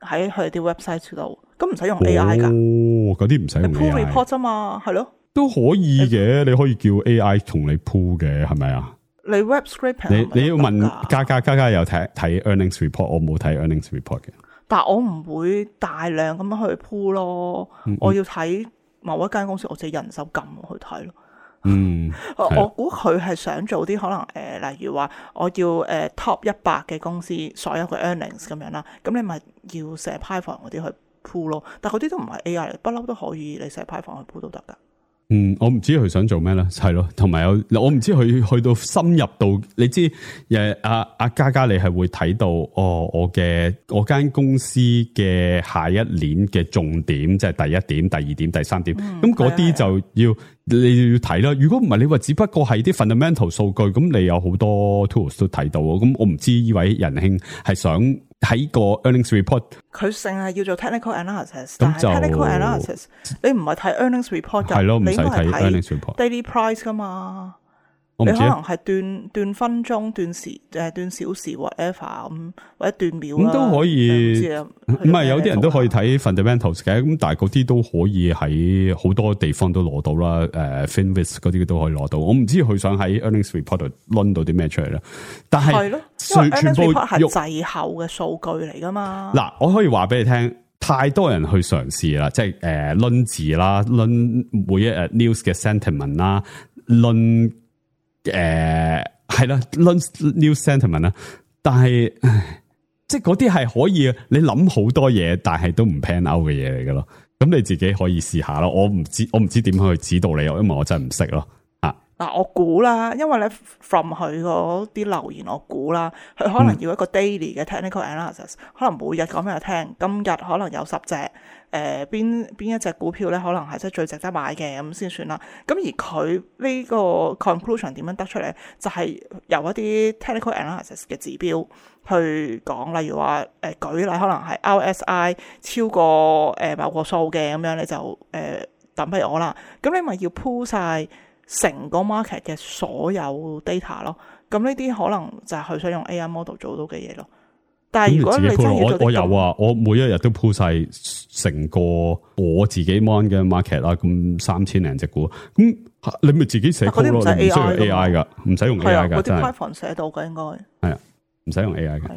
喺佢哋啲 website 度，咁唔使用 A I 噶。哦，嗰啲唔使用 A I。pull report 啫嘛，係咯。都可以嘅，你可以叫 A I 同你 pull 嘅，係咪啊？你 web scraping 你你要問嘉嘉嘉嘉有睇睇 earnings report， 我冇睇 earnings report 嘅。但係我唔會大量咁樣去 pull 咯，嗯嗯我要睇某一間公司，我自己人手撳去睇咯。嗯，我估佢係想做啲可能誒、呃，例如話我要誒、呃、top 一百嘅公司所有嘅 earnings 咁樣啦，咁你咪要寫 Python 嗰啲去 pull 咯，但係嗰啲都唔係 A I 嚟，不嬲都可以你寫 Python 去 pull 都得噶。嗯，我唔知佢想做咩啦，係咯，同埋有我唔知佢去到深入到，你知誒阿阿嘉嘉你係會睇到哦，我嘅我間公司嘅下一年嘅重點，即係第一點、第二點、第三點，咁嗰啲就要你要睇啦。如果唔係你話只不過係啲 fundamental 數據，咁你有好多 tools 都睇到，咁我唔知呢位仁兄係想喺個 earnings report， 佢淨係要做 technical analysis， 但係 technical analysis 你唔係睇 earnings report 㗎，係咯，唔使睇 earnings report， daily price 㗎嘛。你可能係斷斷分鐘、斷時誒、斷小時 whatever 咁，或者斷秒啦。咁都可以，唔係有啲人都可以睇 fundamentals 嘅，咁但係嗰啲都可以喺好多地方都攞到啦。誒 Finviz 嗰啲都可以攞到。我唔知佢想喺 earnings report 度掄到啲咩出嚟啦。但係係咯，因為 earnings report 係滯後嘅數據嚟噶嘛。嗱，我可以話俾你聽，太多人去嘗試啦，即係誒掄字啦，掄每一日 news 嘅 sentiment 啦，掄。誒，係啦 ，news sentiment 啦，但係，即係嗰啲係可以，你諗好多嘢，但係都唔 pan out 嘅嘢嚟噶咯。咁你自己可以試下咯。我唔知，我唔知點去指導你，因為我真係唔識咯。啊，嗱，我估啦，因為咧 from 佢嗰啲留言，我估啦，佢可能要一個 daily 嘅 technical analysis，、嗯、可能每日講俾佢聽，今日可能有十隻。誒邊邊一隻股票咧，可能係即係最值得買嘅咁先算啦。咁而佢呢個 conclusion 點樣得出嚟？就係、是、由一啲 technical analysis 嘅指標去講，例如話誒、呃、舉例，可能係 R S I 超過誒、呃、某個數嘅咁樣，你就誒、呃、等俾我啦。咁你咪要 pull 晒成個 market 嘅所有 data 咯。咁呢啲可能就係佢想用 A I model 做到嘅嘢咯。但係如果你真係我我有啊，我每一日都鋪晒成個我自己 mon 嘅 market 啦，咁三千零隻股，咁你咪自己寫 code 咯，唔需要 A I 噶，唔使用 A I 噶，真係。嗰啲 Python 寫到嘅應該係啊，唔使用 A I 嘅。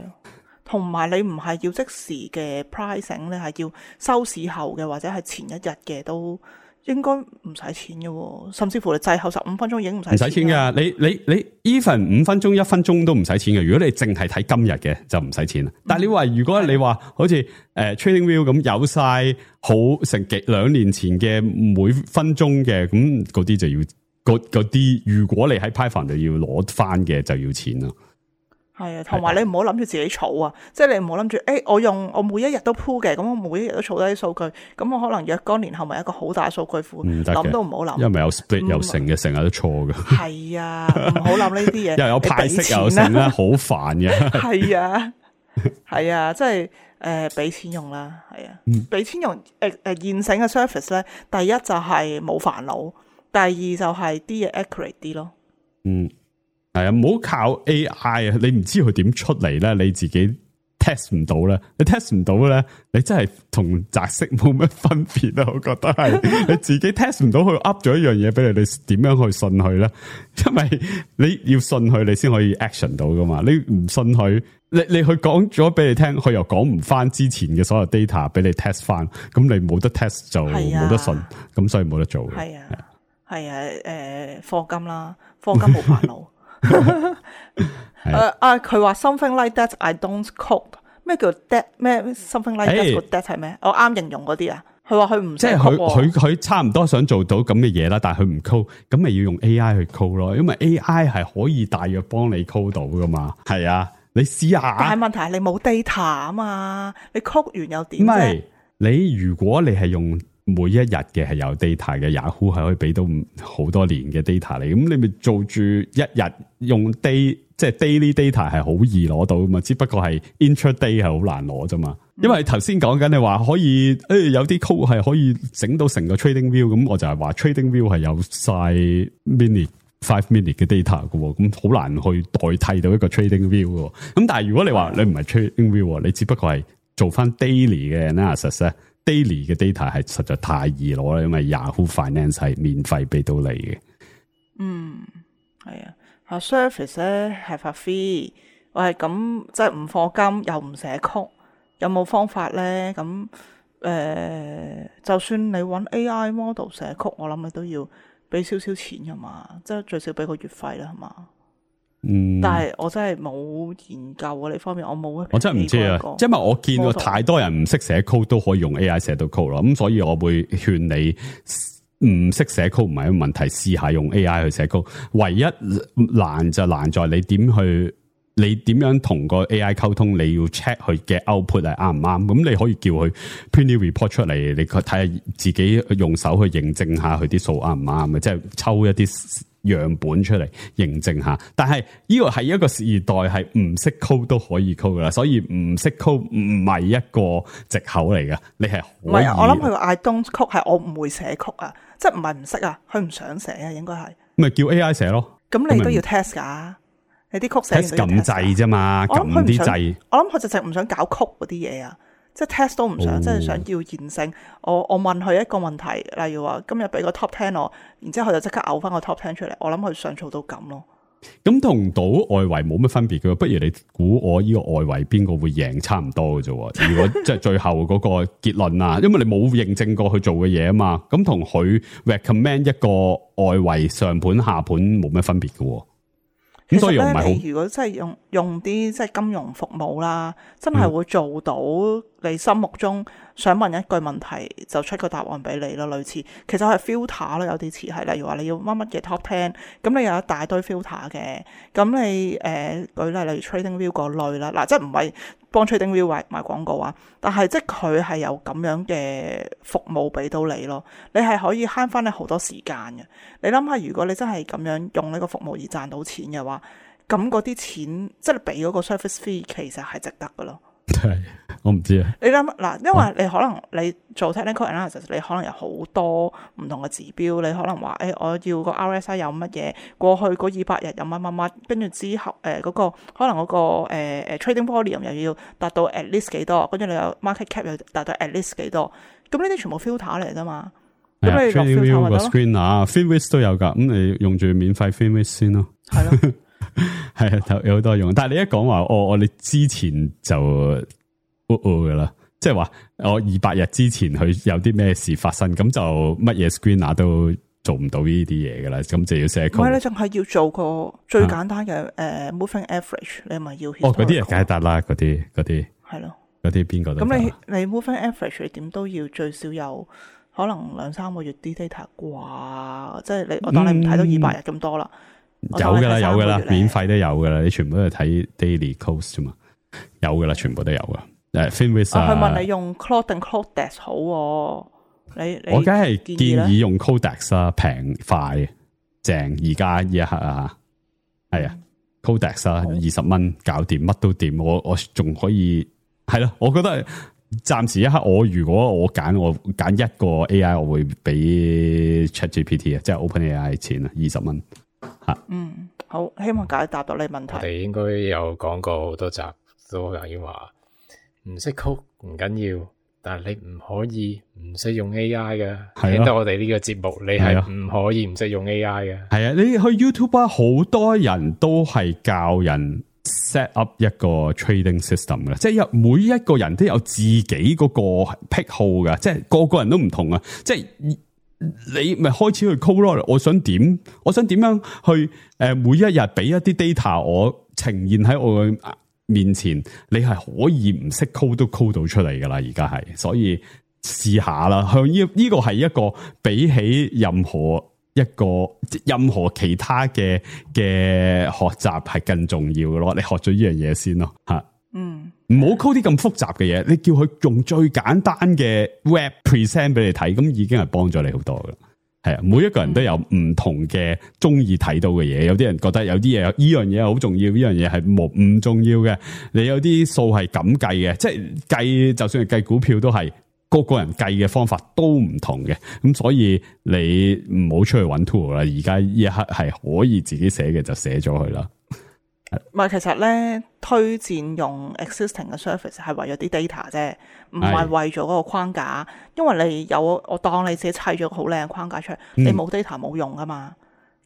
同埋你唔係要即時嘅 pricing， 你係要收市後嘅或者係前一日嘅都。應該唔使錢嘅，甚至乎你滯後十五分鐘已經唔使錢。唔使錢噶，你你你 even 五分鐘一分鐘都唔使錢嘅。如果你淨係睇今日嘅就唔使錢啦。嗯、但係你話如果你話好似誒、呃、TradingView 咁有晒好成幾兩年前嘅每分鐘嘅，咁嗰啲就要嗰啲，如果你喺 Python 度要攞翻嘅就要錢啦。係啊，同埋你唔好諗住自己儲啊，即係你唔好諗住，誒，我用我每一日都鋪嘅，咁我每一日都儲低啲數據，咁我可能若干年後咪一個好大數據庫，諗都唔好諗，因為有 split 有成嘅，成日都錯嘅。係啊，唔好諗呢啲嘢，又有派息又成啦，好煩嘅。係啊，係啊，即係誒，俾錢用啦，係啊，俾錢用誒誒現成嘅 service 咧，第一就係冇煩惱，第二就係啲嘢 accurate 啲咯。嗯。係啊，唔好靠 A I 啊！你唔知佢點出嚟咧，你自己 test 唔到咧，你 test 唔到咧，你真係同擲色冇乜分別啊！我覺得係你自己 test 唔到，佢 up 咗一樣嘢俾你，你點樣去信佢咧？因為你要信佢，你先可以 action 到噶嘛。你唔信佢，你你佢講咗俾你聽，佢又講唔翻之前嘅所有 data 俾你 test 翻，咁你冇得 test 就冇得信，咁所以冇得做嘅。係啊，係啊，誒，課金啦，課金冇煩惱。誒啊！佢話 something like that I don't code， 咩叫 that 咩 something like that 個 that 係咩？我啱形容嗰啲啊。佢話佢唔即係佢佢佢差唔多想做到咁嘅嘢啦，但係佢唔 code， 咁咪要用 A I 去 code 咯。因為 A I 係可以大約幫你 code 到噶嘛。係啊，你試下。但係問題係你冇 data 啊嘛，你 code 完又點啫？唔係你如果你係用。每一日嘅係有 data 嘅 Yahoo 係可以俾到好多年嘅 data 嚟，咁你咪做住一日用 day 即係 daily data 係好易攞到噶嘛，只不過係 intraday 係好難攞啫嘛。因為頭先講緊你話可以誒、哎、有啲 code 係可以整到成個 trading view， 咁我就係話 trading view 係有晒 minute five minute 嘅 data 噶，咁好難去代替到一個 trading view 噶。咁但係如果你話你唔係 trading view， 你只不過係做翻 daily 嘅 analysis 咧。daily 嘅 data 係實在太易攞啦，因為 Yahoo Finance 係免費俾到你嘅。嗯，係啊，啊 service 咧係發 free， 我係咁即係唔課金又唔寫曲，有冇方法咧？咁誒、呃，就算你揾 A I model 寫曲，我諗你都要俾少少錢噶嘛，即係最少俾個月費啦，係嘛？嗯，但係我真係冇研究啊呢方面，我冇。我真係唔知啊，因為我見過太多人唔識寫 code 都可以用 A I 寫到 code 咯，咁所以我會勸你唔識寫 code 唔係一個問題，試下用 A I 去寫 code。唯一難就難在你點去，你點樣同個 A I 溝通，你要 check 佢嘅 output 係啱唔啱。咁你可以叫佢 print 啲 report 出嚟，你睇下自己用手去認證下佢啲數啱唔啱嘅，即係抽一啲樣本出嚟認證下，但係呢個係一個時代，係唔識 code 都可以 code 噶啦，所以唔識 code 唔係一個藉口嚟噶，你係唔係啊？我諗佢個 I don't code 係我唔會寫曲啊，即係唔係唔識啊，佢唔想寫啊，應該係咪叫 A I 寫咯。咁你都要 test 噶，你啲曲寫完 test 撳掣啫嘛，撳啲掣。我諗佢直直唔想搞曲嗰啲嘢啊，即係 test 都唔想，哦、即係想要現成。我我問佢一個問題，例如話今日俾個 top ten 我，然之後佢就即刻嘔翻個 top ten 出嚟。我諗佢想做到咁咯。咁同賭外圍冇乜分別嘅，不如你估我呢個外圍邊個會贏差唔多嘅啫。如果即係最後嗰個結論啊，因為你冇認證過去做嘅嘢啊嘛，咁同佢 recommend 一個外圍上盤下盤冇乜分別嘅。咁所以唔係好。如果真係用用啲即係金融服務啦，真係會做到你心目中想問一句問題就出個答案俾你咯，類似其實係 filter 咯，有啲似係，例如話你要乜乜嘅 top ten， 咁你有一大堆 filter 嘅，咁你誒、呃、舉例例如 TradingView 嗰類啦，嗱即係唔係幫 TradingView 賣賣廣告啊，但係即係佢係有咁樣嘅服務俾到你咯，你係可以慳翻你好多時間嘅。你諗下，如果你真係咁樣用呢個服務而賺到錢嘅話，咁嗰啲錢即係你俾嗰個 service fee 其實係值得嘅咯。係，我唔知啊。你諗嗱，因為你可能你做 technical analysis，你可能有好多唔同嘅指標，你可能話誒、欸，我要個 R S I 有乜嘢，過去嗰二百日有乜乜乜，跟住之後誒嗰、呃那個可能嗰、那個誒誒、呃、trading volume 又要達到 at least 幾多，跟住你有 market cap 又達到 at least 幾多，咁呢啲全部 filter 嚟啫嘛。咁、啊、你落 filter 咪得咯。screener FinVis 都有噶，咁你用住免費 FinVis 先咯。係咯。係啊，有好多用，但係你一講話，我我哋之前就哦哦噶啦，即係話我二百日之前佢有啲咩事發生，咁就乜嘢 screener 都做唔到呢啲嘢噶啦，咁就要寫 code。唔係，你淨係要做個最簡單嘅誒、啊呃、moving average， 你咪要哦嗰啲係梗係得啦，嗰啲嗰啲係咯，嗰啲邊個都得。咁你你 moving average 你點都要最少有可能兩三個月啲 data 啩，即係你我當你唔睇到二百日咁多啦。嗯有噶啦，有噶啦，免費都有噶啦，你全部都係睇 daily cost 啫嘛，有噶啦，全部都有噶。誒 FinVis 啊，佢問你用 Claude 定 Codex 好、啊？你你我梗係建議用 Codex 啦，平快正。而家呢一刻啊，係啊、嗯、，Codex 啊，二十蚊搞掂，乜都掂。我我仲可以係咯，我覺得暫時一刻，我如果我揀我揀一個 A I， 我會俾 ChatGPT 啊，即係 OpenAI 錢啊，二十蚊。嗯，好，希望解答到你問題。我哋應該有講過好多集，都已經話唔識 code 唔緊要，但係你唔可以唔識用 A I 嘅。聽到我哋呢個節目，你係唔可以唔識用 A I 嘅。係啊，你去 YouTube 啊，好多人都係教人 set up 一個 trading system 嘅，即係有每一個人都有自己嗰個癖好嘅，即係個個人都唔同啊，即係。你咪開始去 code 咯，我想點，我想點樣去誒，每一日俾一啲 data 我呈現喺我嘅面前，你係可以唔識 code 都 code 到出嚟噶啦，而家係，所以試下啦。向呢呢個係一個比起任何一個任何其他嘅嘅學習係更重要嘅咯。你學咗呢樣嘢先咯，吓。嗯，唔好 code 啲咁複雜嘅嘢，你叫佢用最簡單嘅 web present 俾你睇，咁已經係幫咗你好多噶。係啊，每一個人都有唔同嘅中意睇到嘅嘢，有啲人覺得有啲嘢呢樣嘢好重要，呢樣嘢係冇唔重要嘅。你有啲數係咁計嘅，即係計，就算係計股票都係個個人計嘅方法都唔同嘅。咁所以你唔好出去揾 tool 啦，而家呢一刻係可以自己寫嘅就寫咗佢啦。唔係，其實咧推薦用 existing 嘅 service 係為咗啲 data 啫，唔係為咗嗰個框架。因為你有我當你自己砌咗個好靚嘅框架出嚟，嗯、你冇 data 冇用噶嘛。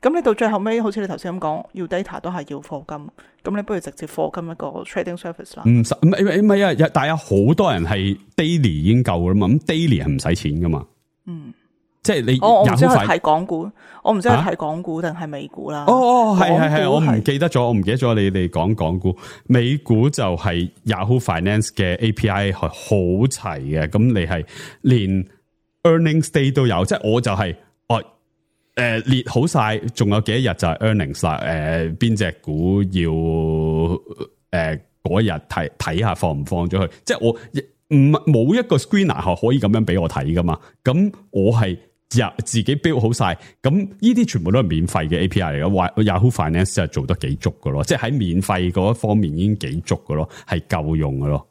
咁你到最後尾，好似你頭先咁講，要 data 都係要課金。咁你不如直接課金一個 trading service 啦。唔使唔係唔係啊！但係有好多人係 daily 已經夠啦嘛。咁 daily 係唔使錢噶嘛。嗯。即係你，我我唔知係睇港股，我唔知係睇港股定係美股啦。哦哦，係係係，我唔記得咗，我唔記得咗你哋講港股，美股就係 Yahoo Finance 嘅 A P I 係好齊嘅，咁你係連 earnings day 都有，即係我就係、是、哦，誒、呃、列好晒，仲有幾多日就係 earnings 啦，誒邊隻股要誒嗰日睇睇下放唔放咗去，即係我唔冇一個 screener 係可以咁樣俾我睇噶嘛，咁我係。自己 build 好晒，咁呢啲全部都係免費嘅 A P I 嚟嘅。Yahoo Finance 就做得幾足嘅咯，即係喺免費嗰一方面已經幾足嘅咯，係夠用嘅咯。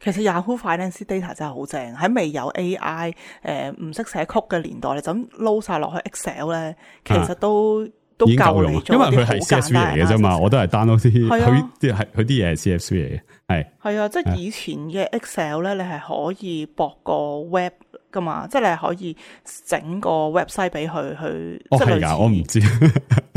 其實 Yahoo Finance data 真係好正，喺未有 A I 誒唔識寫曲嘅年代，你就咁撈晒落去 Excel 咧，其實都都夠用，因為佢係 C S V 嚟嘅啫嘛，我都係 download 啲佢啲係佢啲嘢係 C S V 嚟嘅，係係啊，即係以前嘅 Excel 咧，你係可以駁個 web 噶嘛，即係你係可以整個 website 俾佢去。哦係噶，我唔知。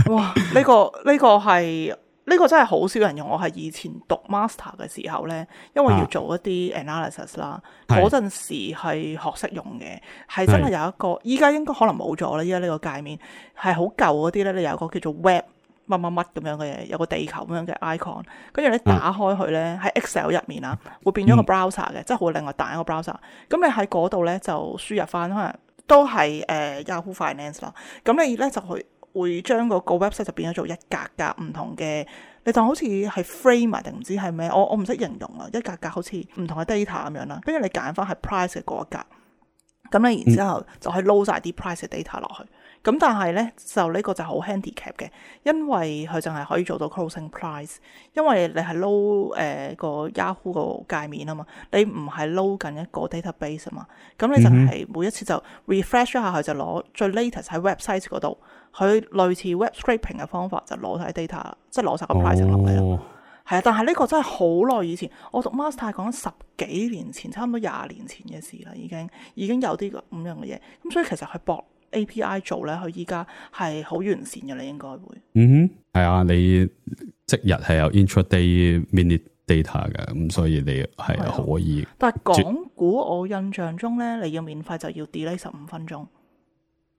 哇！呢、這個呢、這個係。呢個真係好少人用，我係以前讀 master 嘅時候呢，因為要做一啲 analysis 啦，嗰、啊、陣時係學識用嘅，係真係有一個，依家應該可能冇咗啦。依家呢個界面係好舊嗰啲呢，你有個叫做 web 乜乜乜咁樣嘅嘢，有個地球咁樣嘅 icon， 跟住你打開佢呢，喺、啊、Excel 入面啊，會變咗個 browser 嘅、嗯，即係會另外彈一個 browser。咁你喺嗰度呢，就輸入翻，可能都係誒、呃、Yahoo Finance 啦。咁你呢，就去。會將嗰個 website 就變咗做一格格唔同嘅，你當好似係 frame 定唔知係咩？我我唔識形容啊，一格格好似唔同嘅 data 咁樣啦。跟住你揀翻係 price 嘅嗰一格，咁你然之後就可以撈晒啲 price 嘅 data 落去。咁但係咧就呢個就好 handicap 嘅，因為佢淨係可以做到 closing price， 因為你係撈誒個 Yahoo 個界面啊嘛，你唔係撈緊一個 database 啊嘛，咁你就係每一次就 refresh 一下佢就攞最 latest 喺 website 嗰度，佢類似 web scraping 嘅方法就攞晒 data， 即係攞晒個 price 落嚟咯。係啊，但係呢個真係好耐以前，我讀 master 講緊十幾年前，差唔多廿年前嘅事啦，已經已經有啲咁樣嘅嘢，咁所以其實佢博A P I 做咧，佢依家係好完善嘅，你應該會。嗯哼，係啊，你即日係有 intraday minute data 嘅，咁所以你係可以。但係港股我印象中咧，你要免費就要 delay 十五分鐘。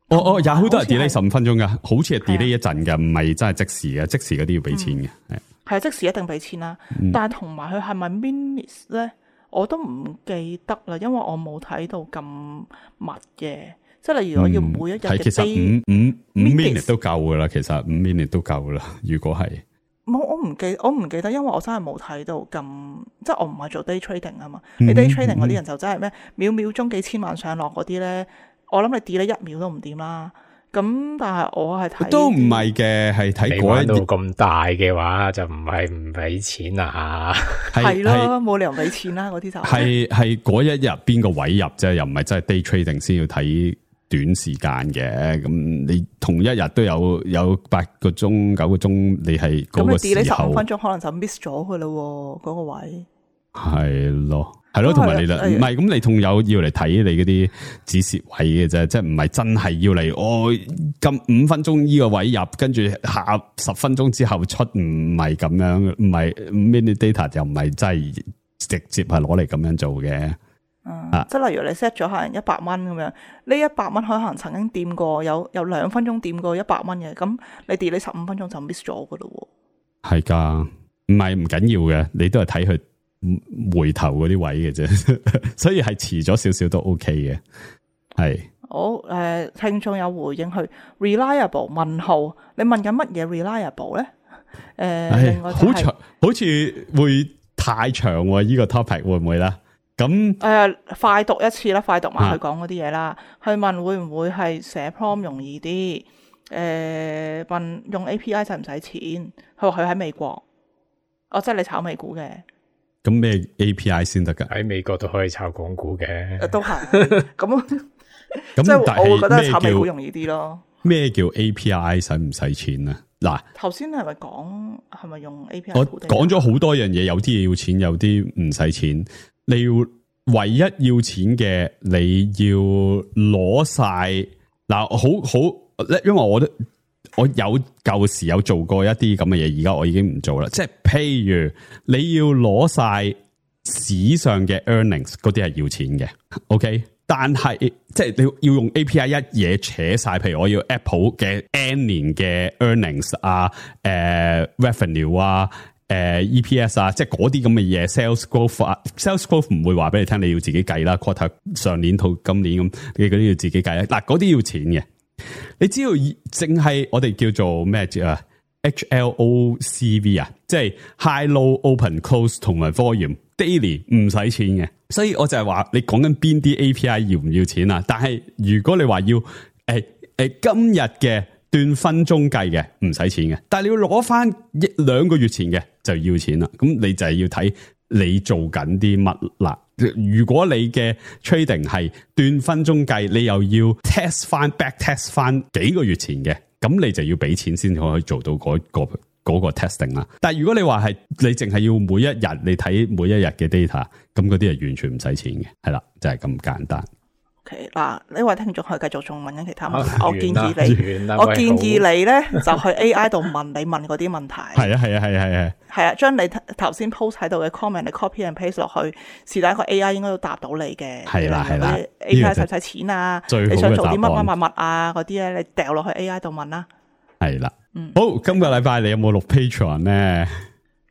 哦哦，Yahoo都係 delay 十五分鐘噶，好似係 delay 一陣嘅，唔係真係即時嘅，即時嗰啲要俾錢嘅。係係啊，即時一定俾錢啦。嗯、但係同埋佢係咪 minutes 咧，我都唔記得啦，因為我冇睇到咁密嘅。即係例如我要每一日嘅，其實五五五 minute 都夠噶啦，其實五 minute 都夠噶啦。如果係冇，我唔記，我唔記得，因為我真係冇睇到咁，即係我唔係做 day trading 啊嘛。你 day trading 嗰啲人就真係咩秒秒鐘幾千萬上落嗰啲咧，我諗你 delay 一秒都唔掂啦。咁但係我係睇都唔係嘅，係睇嗰一度咁大嘅話就唔係唔俾錢啊吓，係咯，冇理由俾錢啦，嗰啲就係係嗰一日邊個位入啫，又唔係真係 day trading 先要睇短時間嘅。咁你同一日都有有八個鐘九個鐘，你係嗰個時候咁你 delay 十五分鐘可能就 miss 咗佢咯，嗰、嗰個位係咯。係咯，同埋你啦，唔係咁，你同有要嚟睇你嗰啲止蝕位嘅啫，即係唔係真係要嚟哦咁五分鐘呢個位入，跟住下十分鐘之後出，唔係咁樣，唔係 mini data 又唔係真係直接係攞嚟咁樣做嘅。嗯，啊、即係例如你 set 咗可能一百蚊咁樣，呢一百蚊可能曾經掂過有有兩分鐘掂過一百蚊嘅，咁你 delay 十五分鐘就 miss 咗噶咯。係噶，唔係唔緊要嘅，你都係睇佢回頭嗰啲位嘅啫，所以係遲咗少少都 OK 嘅。係好誒、呃，聽眾有回應去 reliable 問號，你問緊乜嘢 reliable 咧？誒、呃，另外、就是、好長，好似會太長喎、啊。呢、這個 topic 會唔會咧？咁誒、呃，快讀一次啦，快讀埋佢講嗰啲嘢啦。去問會唔會係寫 prompt 容易啲？誒、呃，問用 A P I 使唔使錢？佢話佢喺美國，哦，即係你炒美股嘅。咁咩 A P I 先得噶？喺美國都可以炒港股嘅，都係咁。即係我會覺得炒美股容易啲咯。咩叫 A P I 使唔使錢啊？嗱，頭先係咪講係咪用 A P I？我講咗好多樣嘢，有啲嘢要錢，有啲唔使錢。你要唯一要錢嘅，你要攞晒嗱，好好，因為我都。我有舊時有做過一啲咁嘅嘢，而家我已經唔做啦。即係譬如你要攞晒史上嘅 earnings， 嗰啲係要錢嘅。OK，但係即係你要用 A P I 一嘢扯晒，譬如我要 Apple 嘅 N 年嘅 earnings 啊，誒、呃、revenue 啊，誒、呃、E P S 啊，即係嗰啲咁嘅嘢 sales growth 啊 sales growth 唔會話俾你聽，你要自己計啦。quarter 上年到今年咁，你嗰啲要自己計啦。嗱，嗰啲要錢嘅。你只要淨係我哋叫做咩啊 H L O C V 啊，即係 high low open close 同埋 volume daily 唔使錢嘅，所以我就係話你講緊邊啲 A P I 要唔要錢啊？但係如果你話要誒誒、欸欸、今日嘅斷分鐘計嘅唔使錢嘅，但係你要攞翻一兩個月前嘅就要錢啦。咁你就係要睇你做緊啲乜啦。如果你嘅 trading 係斷分鐘計，你又要 test 翻 back test 翻幾個月前嘅，咁你就要俾錢先可以做到嗰、嗰個嗰、嗰個 testing 啦。但係如果你話係你淨係要每一日你睇每一日嘅 data， 咁嗰啲係完全唔使錢嘅，係啦，就係、是、咁簡單。OK 嗱，呢位聽眾可以繼續仲問緊其他問題，啊、我建議你，我建議你咧就去 A I 度問你問嗰啲問題。係啊係啊係啊係啊，係啊，將你頭先 post 喺度嘅 comment 你 copy and paste 落去，是但一個 A I 應該都答到你嘅。係啦係啦 ，A I 使唔使錢啊？你想做啲乜乜乜乜啊？嗰啲咧你掉落去 A I 度問啦。係啦，嗯，好，今個禮拜你有冇錄 Patreon 咧？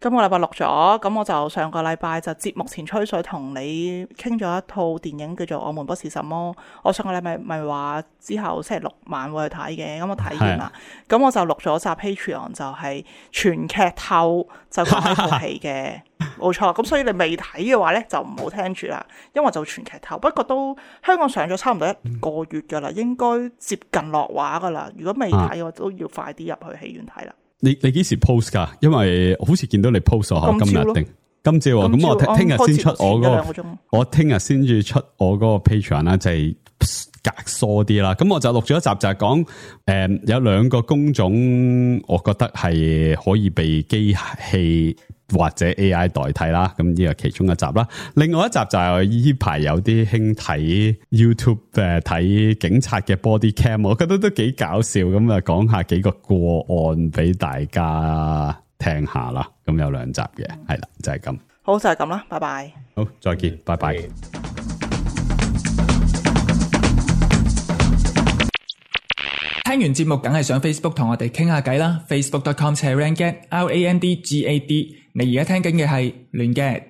今個禮拜錄咗，咁我就上個禮拜就節目前吹水同你傾咗一套電影叫做《我們不是什麼》，我上個禮拜咪話之後星期六晚會去睇嘅，咁我睇完啦，咁我就錄咗集 Patreon 就係全劇透就講呢套戲嘅，冇錯，咁所以你未睇嘅話咧就唔好聽住啦，因為就全劇透，不過都香港上咗差唔多一個月噶啦，應該接近落畫噶啦，如果未睇嘅話都要快啲入去戲院睇啦。你你幾時 post 噶？因為好似見到你 post 咗今日定今朝啊，咁我聽日先出我嗰、那個，我聽日先至出我嗰個 Patreon 啦，就係隔疏啲啦。咁我就錄咗一集，就係講誒有兩個工種，我覺得係可以被機器或者 A I 代替啦。咁呢個其中一集啦。另外一集就係呢排有啲興睇 YouTube 誒睇警察嘅 body cam， 我覺得都幾搞笑。咁啊講下幾個個案俾大家聽下啦。咁有兩集嘅，係啦，就係咁。好，就係咁啦，拜拜。好，再見，拜拜。聽完節目梗係上 Facebook 同我哋傾下偈啦 ，facebook dot com slash randgad R A N D G A D。你而家聽緊嘅係亂 gad。